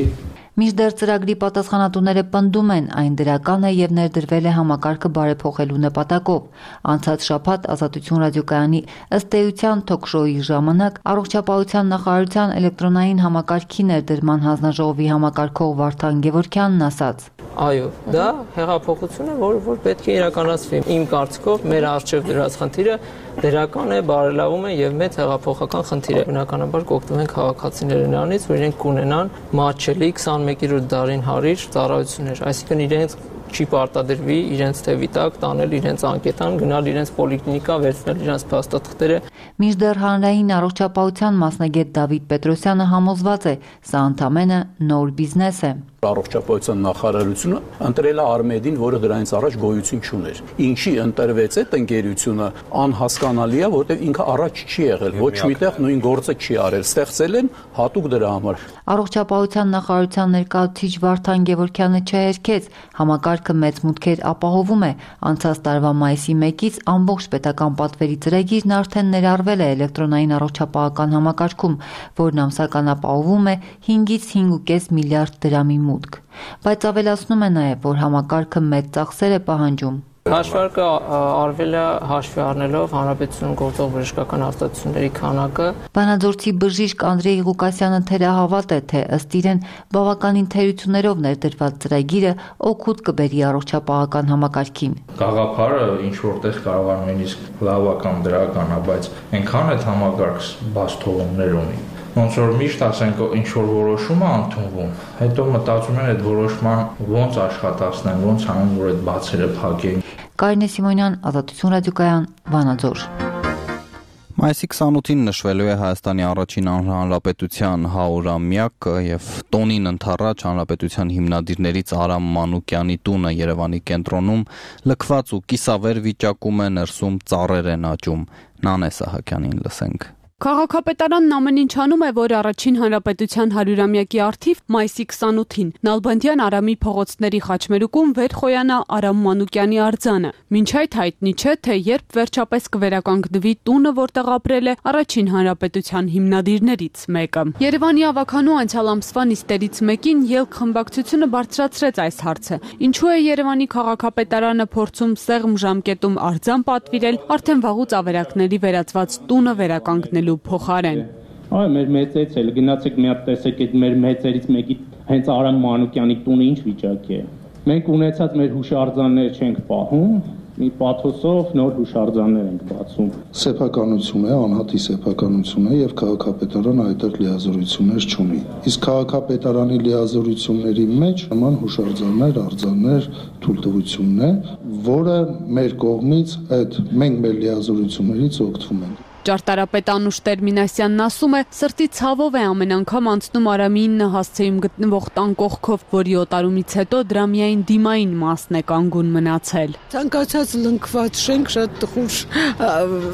Մինչդեռ ծրագրի պատասխանատուները պնդում են, այն դրական է եւ ներդրվել է համակարգը բարեփոխելու նպատակով։ Անցած շաբաթ Ազատություն ռադիոկայանի ըստ էության թոք-շոուի ժամանակ Առողջապահության նախարարության էլեկտրոնային համակարգի ներդրման հանձնաժողովի համակարգող Վարդան Գևորգյանն ասաց. Այո, դա հեղափոխություն է, որը որ պետք է իրականացվի։ Իմ կարծիքով մեր առջև դրած խնդիրը դրական է, բարելավում է եւ մեծ հեղափոխական խնդիր է։ Բնականաբար կօգտվում են քաղաքացիները նրանից, որ իրենք կունենան մատչելի քսանմեկերորդ դարին հարիր ծառայություններ, այսինքն իրենց չի պարտադրվի իրենց թևի տակ տանել իրենց անկետան, գնալ իրենց պոլիկլինիկա, վերցնել իրենց փաստաթղթերը։ Մինչդեռ հանրային առողջապահության մասնագետ Դավիթ Պետրոսյանը համոզված է, սա ընդամենը նոր բիզնես է։ Առողջապահության նախարարությունը ընտրել է Արմեդին, որը դրանից առաջ գոյություն չուներ։ Ինչի ընտրվեց այդ ընկերությունը անհասկանալի է, որտեղ ինքը առաջ չի եղել, ոչ միտեղ նույն գործը չի արել, ստեղծել են հատուկ դրա համար։ Առողջապահության նախարարության ներկայացուցիչ Վարդան Գևորգյանը չհերքեց, համակարգը մեծ մուտքեր ապահովում է։ Անցած տարվա մայիսի մեկից ամբողջ պետական պատվերի ծրագիրն արդեն ներառվել է էլեկտրոնային առողջապահական համակարգում, որն ամսական ապահովում է հինգից հինգ ու կես միլիարդ դրամի մուտք, բայց ավելացնում է նաև, որ համակարգը մեծ ծախսեր է պահանջում։ Հաշվարկը արվել է հաշվի առնելով հանրապետությունում գործող բժշկական արտադրությունների քանակը։ Վանաձորցի բժիշկ Անդրեյ Ղուկասյանը թերահավատ է, թե ըստ իրեն բավականին թերություններով ներդրված ծրագիրը օգուտ կբերի առողջապահական համակարգին։ Գաղափարը ինչ որտեղ կարող է նույնիսկ լավական դրական է, բայց այնքան այդ համակարգ բաց թողումներ ունի։ Ոնց որ միշտ ասենք ինչ որ որոշում է ընդունվում, հետո մտածում են այդ որոշման ոնց աշխատացնեն, ոնց անեն, որ այդ բացերը փակեն։ Կարինե Սիմոնյան, Ազատություն ռադիոկայան, Վանաձոր։ Մայիսի քսանութին նշվելու է Հայաստանի առաջին հանրապետության հարյուրամյակը եւ տոնին ընթառաջ հանրապետության հիմնադիրներից Արամ Մանուկյանի տունը Երևանի կենտրոնում լքված ու կիսավեր վիճակում է, ներսում ծառեր են աճում։ Նանե Սահակյանին լսենք։ Քաղաքապետարանն ամեն ինչ անում է, որ առաջին հանրապետության հարյուրամյակի առթիվ մայիսի քսանութին Նալբանդյան Արամի փողոցների խաչմերուկում վեր խոյանա Արամ Մանուկյանի արձանը։ Մինչ այդ հայտնի չէ, թե երբ վերջապես կվերականգնվի տունը, որտեղ ապրել է առաջին հանրապետության հիմնադիրներից մեկը։ Երևանի ավականու անցյալ ամսվա նիստերից մեկին ելք խմբակցությունը բարձրացրեց այս հարցը։ Ինչու է Երևանի քաղաքապետարանը փորձում սեղմ ժամկետում արձան պատվիրել արդեն վաղուց ավերակների վերածված տունը վերականգնել փոխարեն։ Այ մեր մեծից էլ գնացեք մի հատ տեսեք այդ մեր մեծերից մեկի հենց Արամ Մանուկյանի տունը ինչ վիճակի է։ Մենք ունեցած մեր հուշարձանները չենք պահում, մի պաթոսով նոր հուշարձաններ ենք բացում։ Սեփականություն է, անհատի սեփականություն է եւ քաղաքապետարանը այդտեղ լիազորություններ չունի։ Իսկ քաղաքապետարանի լիազորությունների մեջ նման հուշարձաններ, արձաններ, թույլտվությունն է, որը մեր կողմից այդ մենք մեր լիազորություններից օգտվում ենք։ Ճարտարապետ Անուշ Տերմինասյանն ասում է, սրտի ցավով է ամեն անգամ անցնում Արամի ինը հասցեում գտնվող տան կողքով, որի օտարումից հետո դրա միայն դիմային մասն է կանգուն մնացել։ Ցանկացած լնքված շենք շատ տխուր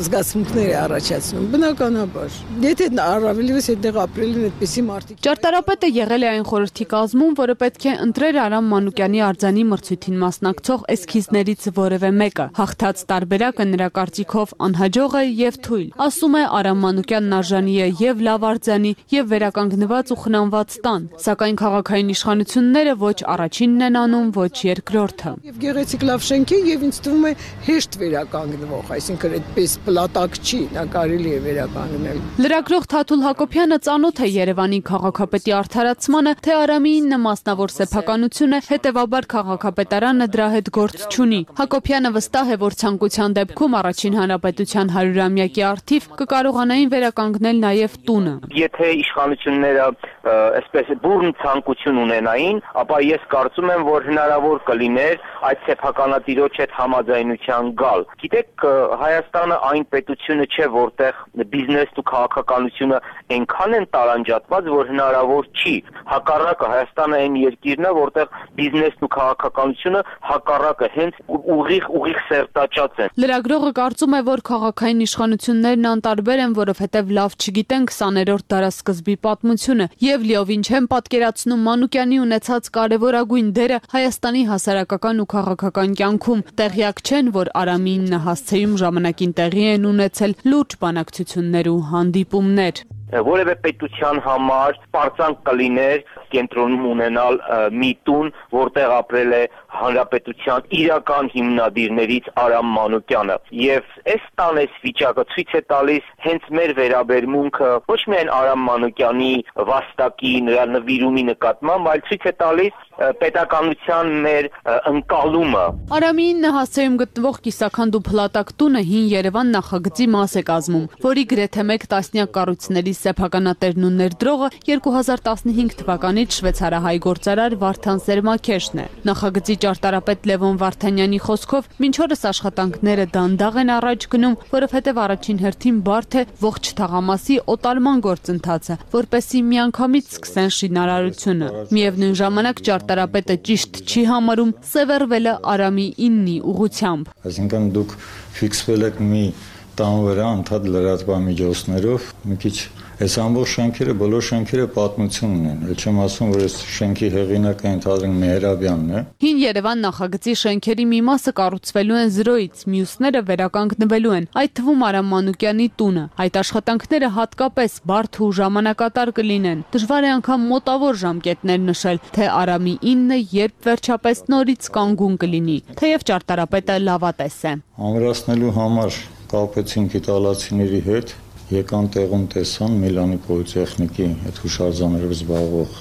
զգացմունքներ է առաջացնում, բնականաբար։ Եթե առավելևս այդտեղ ապրել են այդպիսի մարդիկ։ Ճարտարապետը եղել է այն խորհրդի կազմում, որը պետք է ընտրեր Արամ Մանուկյանի արձանի մրցույթին մասնակցող էսքիզներից որևէ մեկը։ Հաղթած տարբերակը նրա կարծիքով անհաջող է եւ թույլ։ Ասում է Արամ Մանուկյանն արժանի է եւ լավ արձանի, եւ վերականգնված ու խնամված տան, սակայն քաղաքային իշխանությունները ոչ առաջինն են անում, ոչ երկրորդը։ Եվ գեղեցիկ լավ շենք է եւ ինձ թվում է հեշտ վերականգնվող, այսինքն այդպես պլատակ չի, նա կարելի է վերականգնել։ Լրագրող Թաթուլ Հակոբյանը ծանոթ է Երևանի քաղաքապետի արդարացմանը, թե Արամի ինը մասնավոր սեփականություն է, հետեւաբար քաղաքապետարանը դրա հետ գործ չունի։ Հակոբյանը վստահ է, որ ցանկության դեպքում Առաջին հանրապետության հարյուրամյակի առթիվ կկարողանային վերականգնել նաև տունը։ Եթե իշխանությունները այսպես բուրն ցանկություն ունենային, ապա ես կարծում եմ, որ հնարավոր կլիներ այդ սեփականատիրոջ հետ համաձայնության գալ։ Գիտեք, Հայաստանը այն պետությունը չէ, որտեղ բիզնեսն ու քաղաքականությունը այնքան են տարանջատված, որ հնարավոր չի։ Հակառակը Հայաստանը այն երկիրն է, որտեղ բիզնեսն ու քաղաքականությունը հակառակը հենց ուղիղ ուղիղ սերտաճած են։ Լրագրողը կարծում է, որ քաղաքային իշխանություններն անտարբեր են, որովհետև լավ չգիտեն քսաներորդ դարասկզբի պատմությունը եւ լիովին չեն պատկերացնում Մանուկյանի ունեցած կարևորագույն դերը Հայաստանի հասարակական ու քաղաքական կյանքում։ Տեղյակ չեն, որ Արամի ինը հասցեում ժամանակին տեղի են ունեցել լուրջ բանակցություններ ու հանդիպումներ։ Որևէ պետության համար պարծանք կլիներ կենտրոնում ունենալ մի տուն, որտեղ ապրել է հանրապետության իրական հիմնադիրներից Արամ Մանուկյանը։ Եվ այս տան այս վիճակը ցույց է տալիս հենց մեր վերաբերմունքը ոչ միայն Արամ Մանուկյանի վաստակի, նրա նվիրումի նկատմամբ, այլ ցույց է տալիս պետականության մեր ընկալումը։ Արամի ինը հասցեում գտնվող կիսաքանդ ու փլատակ տունը հին Երևան նախագծի մաս է կազմում, որի գրեթե մեկ տասնյակ կառույցների սեփականատերն ու ներդրողը երկու հազար տասնհինգ թվականից շվեյցարահայ գործարար Վարդան Սերմաքեշն է։ Նախագծի ճարտարապետ Լևոն Վարդանյանի խոսքով մինչ օրս աշխատանքները դանդաղ են առաջ գնում, որովհետև առաջին հերթին բարդ է ողջ թաղամասի օտարման գործընթացը, որպեսզի միանգամից սկսեն շինարարությունը։ Միևնույն ժամանակ ճարտարապետը ճիշտ չի համարում սևեռվելը Արամի ինի ուղղությամբ։ Այսինքն դուք ֆիքսվել եք մի տան վրա ընդհանուր լրատվամիջոցներով, մի քիչ այս ամբողջ շենքերը, բոլոր շենքերը պատմություն ունեն։ Էլ չեմ ասում, որ այս շենքի հեղինակը ընդհանրեն Մեհրաբյանն է։ Հին Երևան նախագծի շենքերի մի մասը կառուցվելու են զրոյից, մյուսները վերականգնվելու են, այդ թվում Արամ Մանուկյանի տունը։ Այդ աշխատանքները հատկապես բարդ ու ժամանակատար կլինեն։ Դժվար է անգամ մոտավոր ժամկետներ նշել, թե Արամի ինը երբ վերջապես նորից կանգուն կլինի, թեև ճարտարապետը լավատես է։ Ամրացնելու համար կապեցինք իտալացիների հետ, եկան տեղում տեսան Միլանի պոլիտեխնիկի այդ հուշարձաններով զբաղվող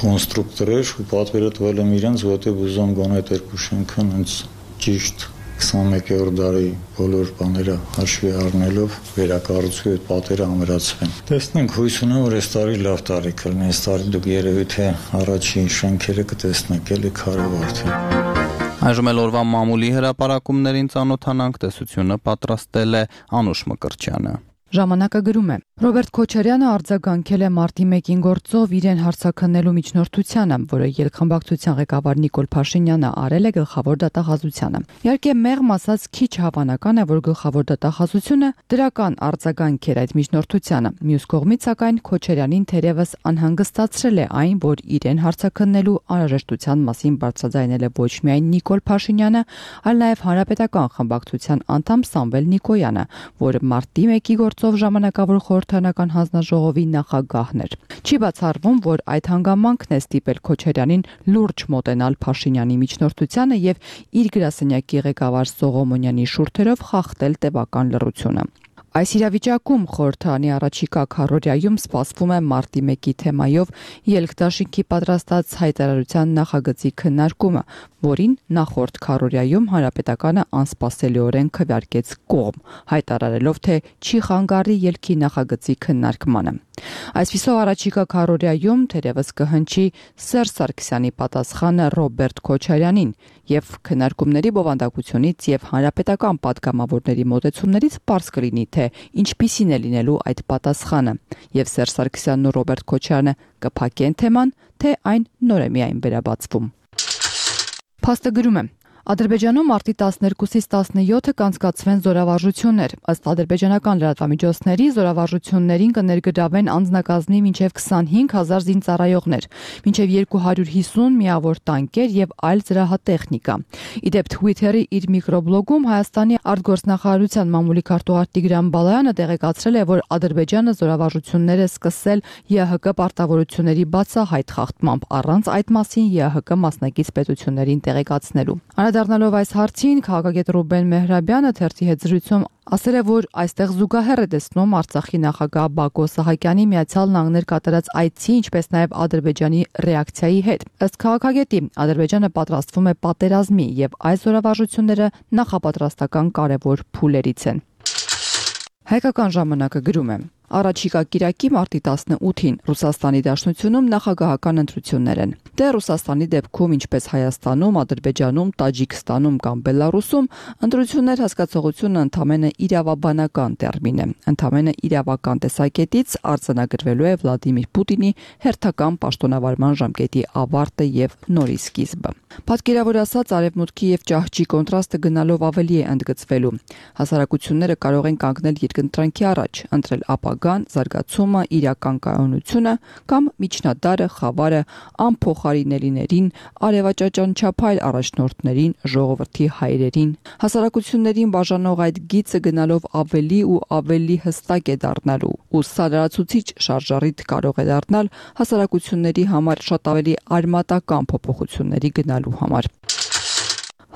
կոնստրուկտորներ ու պատվերը տվել եմ իրենց, որտեղ ուզում գոնե այդ երկու շենքը հենց ճիշտ քսանմեկերորդ դարի բոլոր բաները հաշվի առնելով վերակառուցվի այդ պատերը ամրացվեն։ Տեսնենք, հույս ունեմ, որ այս տարի լավ տարի կլինի, այս տարի դուք երևի թե առաջին շենքերը կտեսնեք, էլի քարավարդի։ Այժմ էլ օրվա մամուլի հրապարակումներին ծանոթանանք, տեսությունը պատրաստել է Անուշ Մկրտչյանը։ Ժամանակը գրում է. Ռոբերտ Քոչարյանը արձագանքել է մարտի մեկին գործով իրեն հարցաքննելու միջնորդությանը, որը ելքխմբակցության ղեկավար Նիկոլ Փաշինյանը արել է գլխավոր դատախազությանը։ Իհարկե մեղմ ասած քիչ հավանական է, որ գլխավոր դատախազությունը դրական արձագանք էր այդ միջնորդությանը։ Մյուս կողմից սակայն Քոչարյանին թերևս անհանգստացրել է այն, որ իրեն հարցաքննելու անհրաժեշտության մասին բարձրաձայնել է ոչ միայն Նիկոլ Փաշինյանը, այլ նաև հանրապետական խմբակցության անդամ Սամվել Նիկոյանը, որը մարտի մեկի գործով ժամանակավոր խորհրդարանական հանձնաժողովի նախագահն էր։ Չի բացառվում, որ այդ հանգամանքն է ստիպել Քոչարյանին լուրջ մոտենալ Փաշինյանի միջնորդությանը եւ իր գրասենյակի ղեկավար Սողոմոնյանի շուրթերով խախտել տևական լռությունը։ Այս իրավիճակում խորհրդարանի առաջիկա քառորյայում սպասվում է մարտի մեկի թեմայով ելքդաշինքի պատրաստած հայտարարության նախագծի քննարկումը, որին նախորդ քառորյայում հանրապետականը անսպասելիորեն քվեարկեց կողմ, հայտարարելով, թե չի խանգարի ելքի նախագծի քննարկմանը։ Այսպիսով առաջիկա քառորյայում թերևս կհնչի Սերժ Սարգսյանի պատասխանը Ռոբերտ Քոչարյանին եւ քննարկումների բովանդակությունից եւ հանրապետական падգամավորների մոտեցումներից պարզ կլինի, թե ինչպիսին է լինելու այդ պատասխանը, եւ Սերժ Սարգսյանն ու Ռոբերտ Քոչարյանը կփակեն թեման, թե այն նոր է միայն վերաբացվում։ Փաստը գրում է. Ադրբեջանում մարտի տասներկուսից տասնյոթը կանցկացվեն զորավարժություններ։ Ըստ ադրբեջանական լրատվամիջոցների զորավարժություններին կներգրավեն անձնակազմի մինչև քսանհինգ հազար զինծառայողներ, մինչև երկու հարյուր հիսուն միավոր տանկեր եւ այլ զրահատեխնիկա։ Իդեպ Twitter-ի իր միկրոբլոգում Հայաստանի արտգործնախարարության մամուլի քարտուղար Տիգրան Բալայանը տեղեկացրել է, որ Ադրբեջանը զորավարժություններ է սկսել ԵՀԿ պարտավորությունների բացահայտ խախտմամբ, առանց այդ մասին ԵՀԿ մասնակից պետություններին տեղեկացնելու։ Անդրադառնալով այս հարցին, քաղաքագետ Ռուբեն Մեհրաբյանը թերթի հետ զրույցում ասել է, որ այստեղ զուգահեռ է տեսնում Արցախի նախագահ Բակո Սահակյանի Միացյալ Նահանգներ կատարած այցի, ինչպես նաև Ադրբեջանի ռեակցիայի հետ։ Ըստ քաղաքագետի, Ադրբեջանը պատրաստվում է պատերազմի եւ այս զորավարժությունները նախապատրաստական կարևոր փուլերից են։ Հայկական ժամանակը գրում է. Առաջիկա կիրակի մարտի տասնութին Ռուսաստանի Դաշնությունում նախագահական ընտրություններ են։ Դե Ռուսաստանի դեպքում, ինչպես Հայաստանում, Ադրբեջանում, Տաջիկստանում կամ Բելարուսում, ընտրություններ հասկացողությունը ընդամենը իրավաբանական տերմին է։ Ընդամենը իրավական տեսակետից արձանագրվելու է Վլադիմիր Պուտինի հերթական պաշտոնավարման ժամկետի ավարտը եւ նորի սկիզբը։ Պատկերավոր ասած, արևմուտքի եւ ճահճի կոնտրաստը գնալով ավելի է ընդգծվելու։ Հասարակությունները կարող են կանգնել երկընտրանքի առաջ, ընտրել ապագան, զարգացումը, իրական կայունությունը կամ միջնադարը, խավարը, անփոխարինելիներին, արևաճաճանչափայլ առաջնորդներին, ժողովրդի հայրերին։ Հասարակություններին բաժանող այդ գիծը գնալով ավելի ու ավելի հստակ է դառնալու, ու սա լրացուցիչ շարժառիթ կարող է դառնալ հասարակությունների համար շատ ավելի արմատական փոփոխությունների գնալու համար։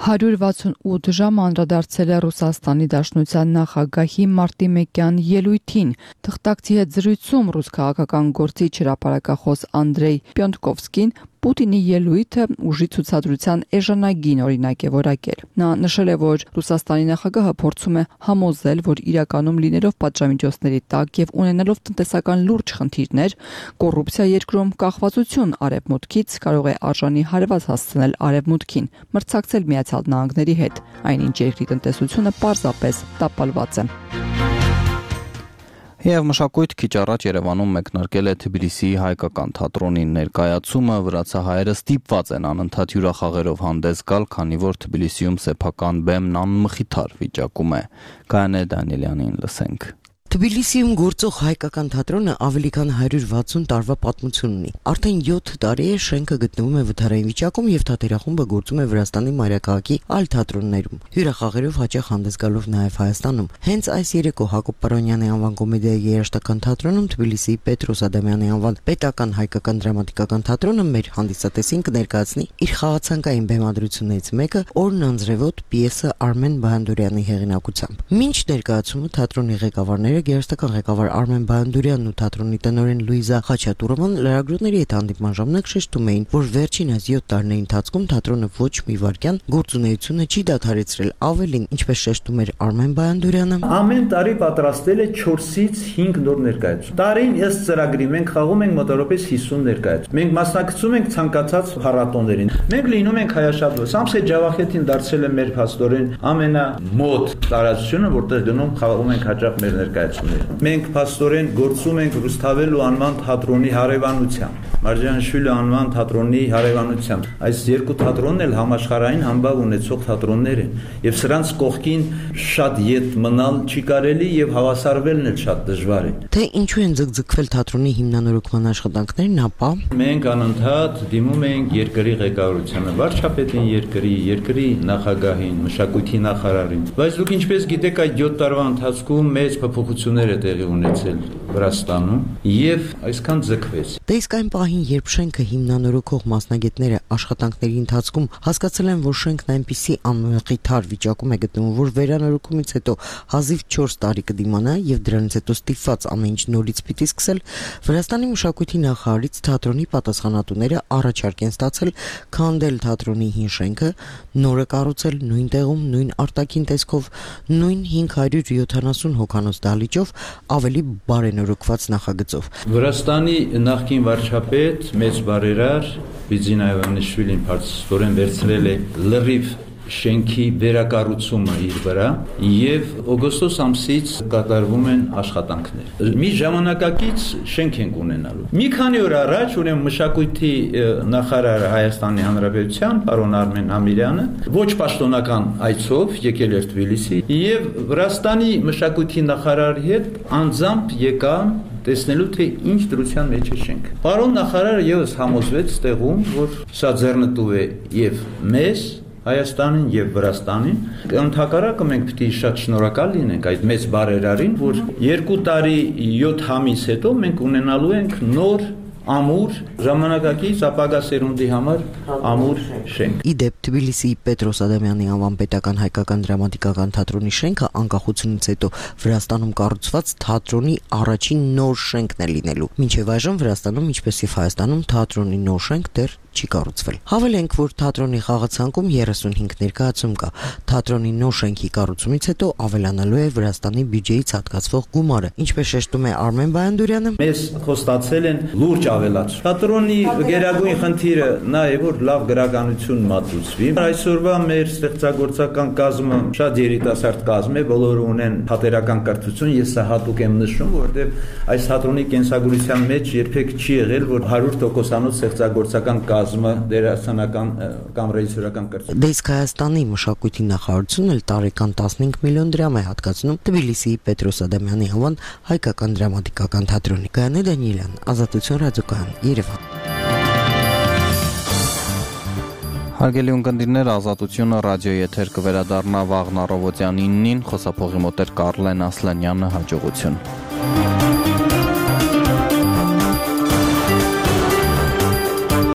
հարյուր վաթսունութ ժամ անդրադարձել է Ռուսաստանի Դաշնության նախագահի մարտի մեկյան ելույթին։ Թղթակցի հետ զրույցում ռուս քաղաքական գործիչ հրապարակախոս Անդրեյ Պյոնտկովսկին Պուտինի ելույթը ուժի ցուցադրության էժանագին օրինակ է որակել։ Նա նշել է, որ Ռուսաստանի նախագահը փորձում է համոզել, որ իրականում լինելով պատժամիջոցների տակ եւ ունենալով տնտեսական լուրջ խնդիրներ, կոռուպցիա երկրում կախվածություն արևմուտքից կարող է արժանի հարված հասցնել արևմուտքին, մրցակցել Միացյալ Նահանգների հետ, այնինչ երկրի տնտեսությունը պարզապես տապալված է։ Եվ մշակույթ քիչ առաջ Երևանում մեկնարկել է Թբիլիսիի հայկական թատրոնի ներկայացումը, վրացահայերը ստիպված են անընդհատ հյուրախաղերով հանդես գալ, քանի որ Թբիլիսիում սեփական բեմն անմխիթար վիճակում է։ Գայանե Դանիելյանին լսենք։ Թբիլիսիում գործող հայկական թատրոնը ավելի քան հարյուր վաթսուն տարվա պատմություն ունի։ Արդեն յոթ տարի է շենքը գտնվում է վթարային վիճակում եւ թատերախումբը գործում է Վրաստանի մայրաքաղաքի այլ թատրոններում, հյուրախաղերով հաճախ հանդես գալով նաեւ Հայաստանում։ Հենց այս երեկո Հակոբ Պարոնյանի անվան կոմեդիայի երաժշտական թատրոնում Թբիլիսիի Պետրոս Ադամյանի անվան պետական հայկական դրամատիկական թատրոնը մեր հանդիսատեսին կներկայացնի իր խաղացանկային բեմադրություններից մեկը Օրն անձրևոտ պիեսը Արմեն Բայանդուրյանի հեղինակությամբ։ Մինչ ներկայացումը թատրոնի ղեկավարները Գերստական ղեկավար Արմեն Բայանդուրյանն ու թատրոնի տնօրեն Լուիզա Խաչատուրովան լրագրողների հետ հանդիպման ժամանակ շեշտում էին, որ վերջին այս յոթ տարիների ընթացքում թատրոնը ոչ մի վայրկյան գործունեությունը չի դադարեցրել, ավելին, ինչպես շեշտում էր Արմեն Բայանդուրյանը, ամեն տարի պատրաստել է չորսից հինգ նոր ներկայացում։ Տարին ըստ ծրագրի մենք խաղում ենք մոտավորապես հիսուն ներկայացում։ Մենք մասնակցում ենք ցանկացած փառատոներին։ Մենք լինում ենք հայաշատվը։ Սամսե Ջավախետին դարձել է մեր փաստորեն ամենամոտ տարածությունը, որտեղ գնում խաղում ենք հաճախ մեր ներկայացումները։ Մենք փաստորեն գործում ենք Ռուսթավելու անվան թատրոնի հարևանությամբ, Մարջանշվիլի անվան թատրոնի հարևանությամբ։ Այս երկու թատրոնն էլ համաշխարհային համբավ ունեցող թատրոններ են, եւ սրանց կողքին շատ յետ մնալ չի կարելի եւ հավասարվելն էլ շատ դժվար է։ Թե ինչու են ձգձգվել թատրոնի հիմնանորոգման աշխատանքներն, ապա մենք անընդհատ դիմում ենք երկրի ղեկավարությանը, վարչապետին երկրի, երկրի նախագահին, մշակույթի նախարարին։ Բայց դուք ինչպես գիտեք, այդ յոթ տարվա ընթացքում մեծ փոփոխություններ է տեղի ունեցել Վրաստանում եւ այսքան ձգվեց։ Դե իսկ այն պահին, երբ շենքը հիմնանորոգող մասնագետները աշխատանքների ընթացքում հասկացել են, որ շենքն այնպիսի անմխիթար վիճակում է գտնվում, որ վերանորոգումից հետո հազիվ չորս տարի կդիմանա եւ դրանից հետո ստիպված ամեն ինչ նորից պիտի սկսել, Վրաստանի մշակույթի նախարարից թատրոնի պատասխանատուները առաջարկ են ստացել քանդել թատրոնի հին շենքը, նորը կառուցել նույն տեղում, նույն արտաքին տեսքով, նույն հինգ հարյուր յոթանասուն հոգանոց դահլիճով, ավելի բարենորոգված նախագծով։ Վրաստանի նախկին վարչապետ, մեծ բարերար Բիձինա Իվանիշվիլին փաստորեն վերցրել է լրիվ շենքի վերակառուցումը իր վրա եւ օգոստոս ամսից կատարվում են աշխատանքներ։ Մի ժամանակակից շենք ենք ունենալու։ Մի քանի օր առաջ ուրեմն մշակույթի նախարար Հայաստանի Հանրապետության պարոն Արմեն Ամիրյանը ոչ պաշտոնական այցով եկել էր Թբիլիսի եւ Վրաստանի մշակույթի նախարարի հետ անձամբ եկան տեսնելու թե ինչ դրության մեջ է շենք։ Պարոն նախարարը եւս համոզվեց տեղում, որ սա ձեռնտու է եւ մեզ Հայաստանին եւ Վրաստանին, ընդհակառակը մենք պետք է շատ շնորհակալ լինենք այդ մեծ բարերարին, որ երկու տարի յոթ ամիս հետո մենք ունենալու ենք նոր ամուր ժամանակակից ապագա սերունդի համար ամուր շենք։ Իդեպ Թբիլիսիի Պետրոս Ադամյանի անվան պետական հայկական դրամատիկական թատրոնի շենքը անկախությունից հետո Վրաստանում կառուցված թատրոնի առաջին նոր շենքն է լինելու։ Մինչև այժմ Վրաստանում, ինչպես եւ Հայաստանում, թատրոնի նոր շենք դեռ չի կառուցվել։ Հավելենք, որ թատրոնի խաղացանկում երեսունհինգ ներկայացում կա։ Թատրոնի նոր շենքի կառուցումից հետո ավելանալու է Վրաստանի բյուջեից հատկացվող գումարը, ինչպես շեշտում է Արմեն Բայանդուրյանը։ Մեզ խոստացել են լուրջ ավելացում։ Թատրոնի գերագույն խնդիրը նա է, որ լավ գրականություն մատուցվի։ Այսօրվա մեր ստեղծագործական կազմը շատ երիտասարդ կազմ է, բոլորը ունեն թատերական կրթություն, ես սա հատուկ եմ նշում, որովհետև այս թատրոնի կենսագրության մեջ երբեք չի եղել, որ հարյուր տոկոսանոց ստեղծագործական կազմը դերասանական կամ ռեժիսորական կրթություն։ Դե իսկ Հայաստանի մշակույթի նախարարությունն էլ տարեկան տասնհինգ միլիոն դրամ է հատկացնում Թբիլիսիի Պետրոս Ադամյանի անվան հայկական դրամատիկական թատրոնի։ Գայանե Դանիելյան, Ազատություն ռադիոկայան, Երևան։ Հարգելի ունկնդիրներ, Ազատությունը ռադիոյի եթեր կվերադառնա վաղն առավոտյան իննին, խոսափողի մոտ էր Կարլեն Ասլանյանը, հաջողություն։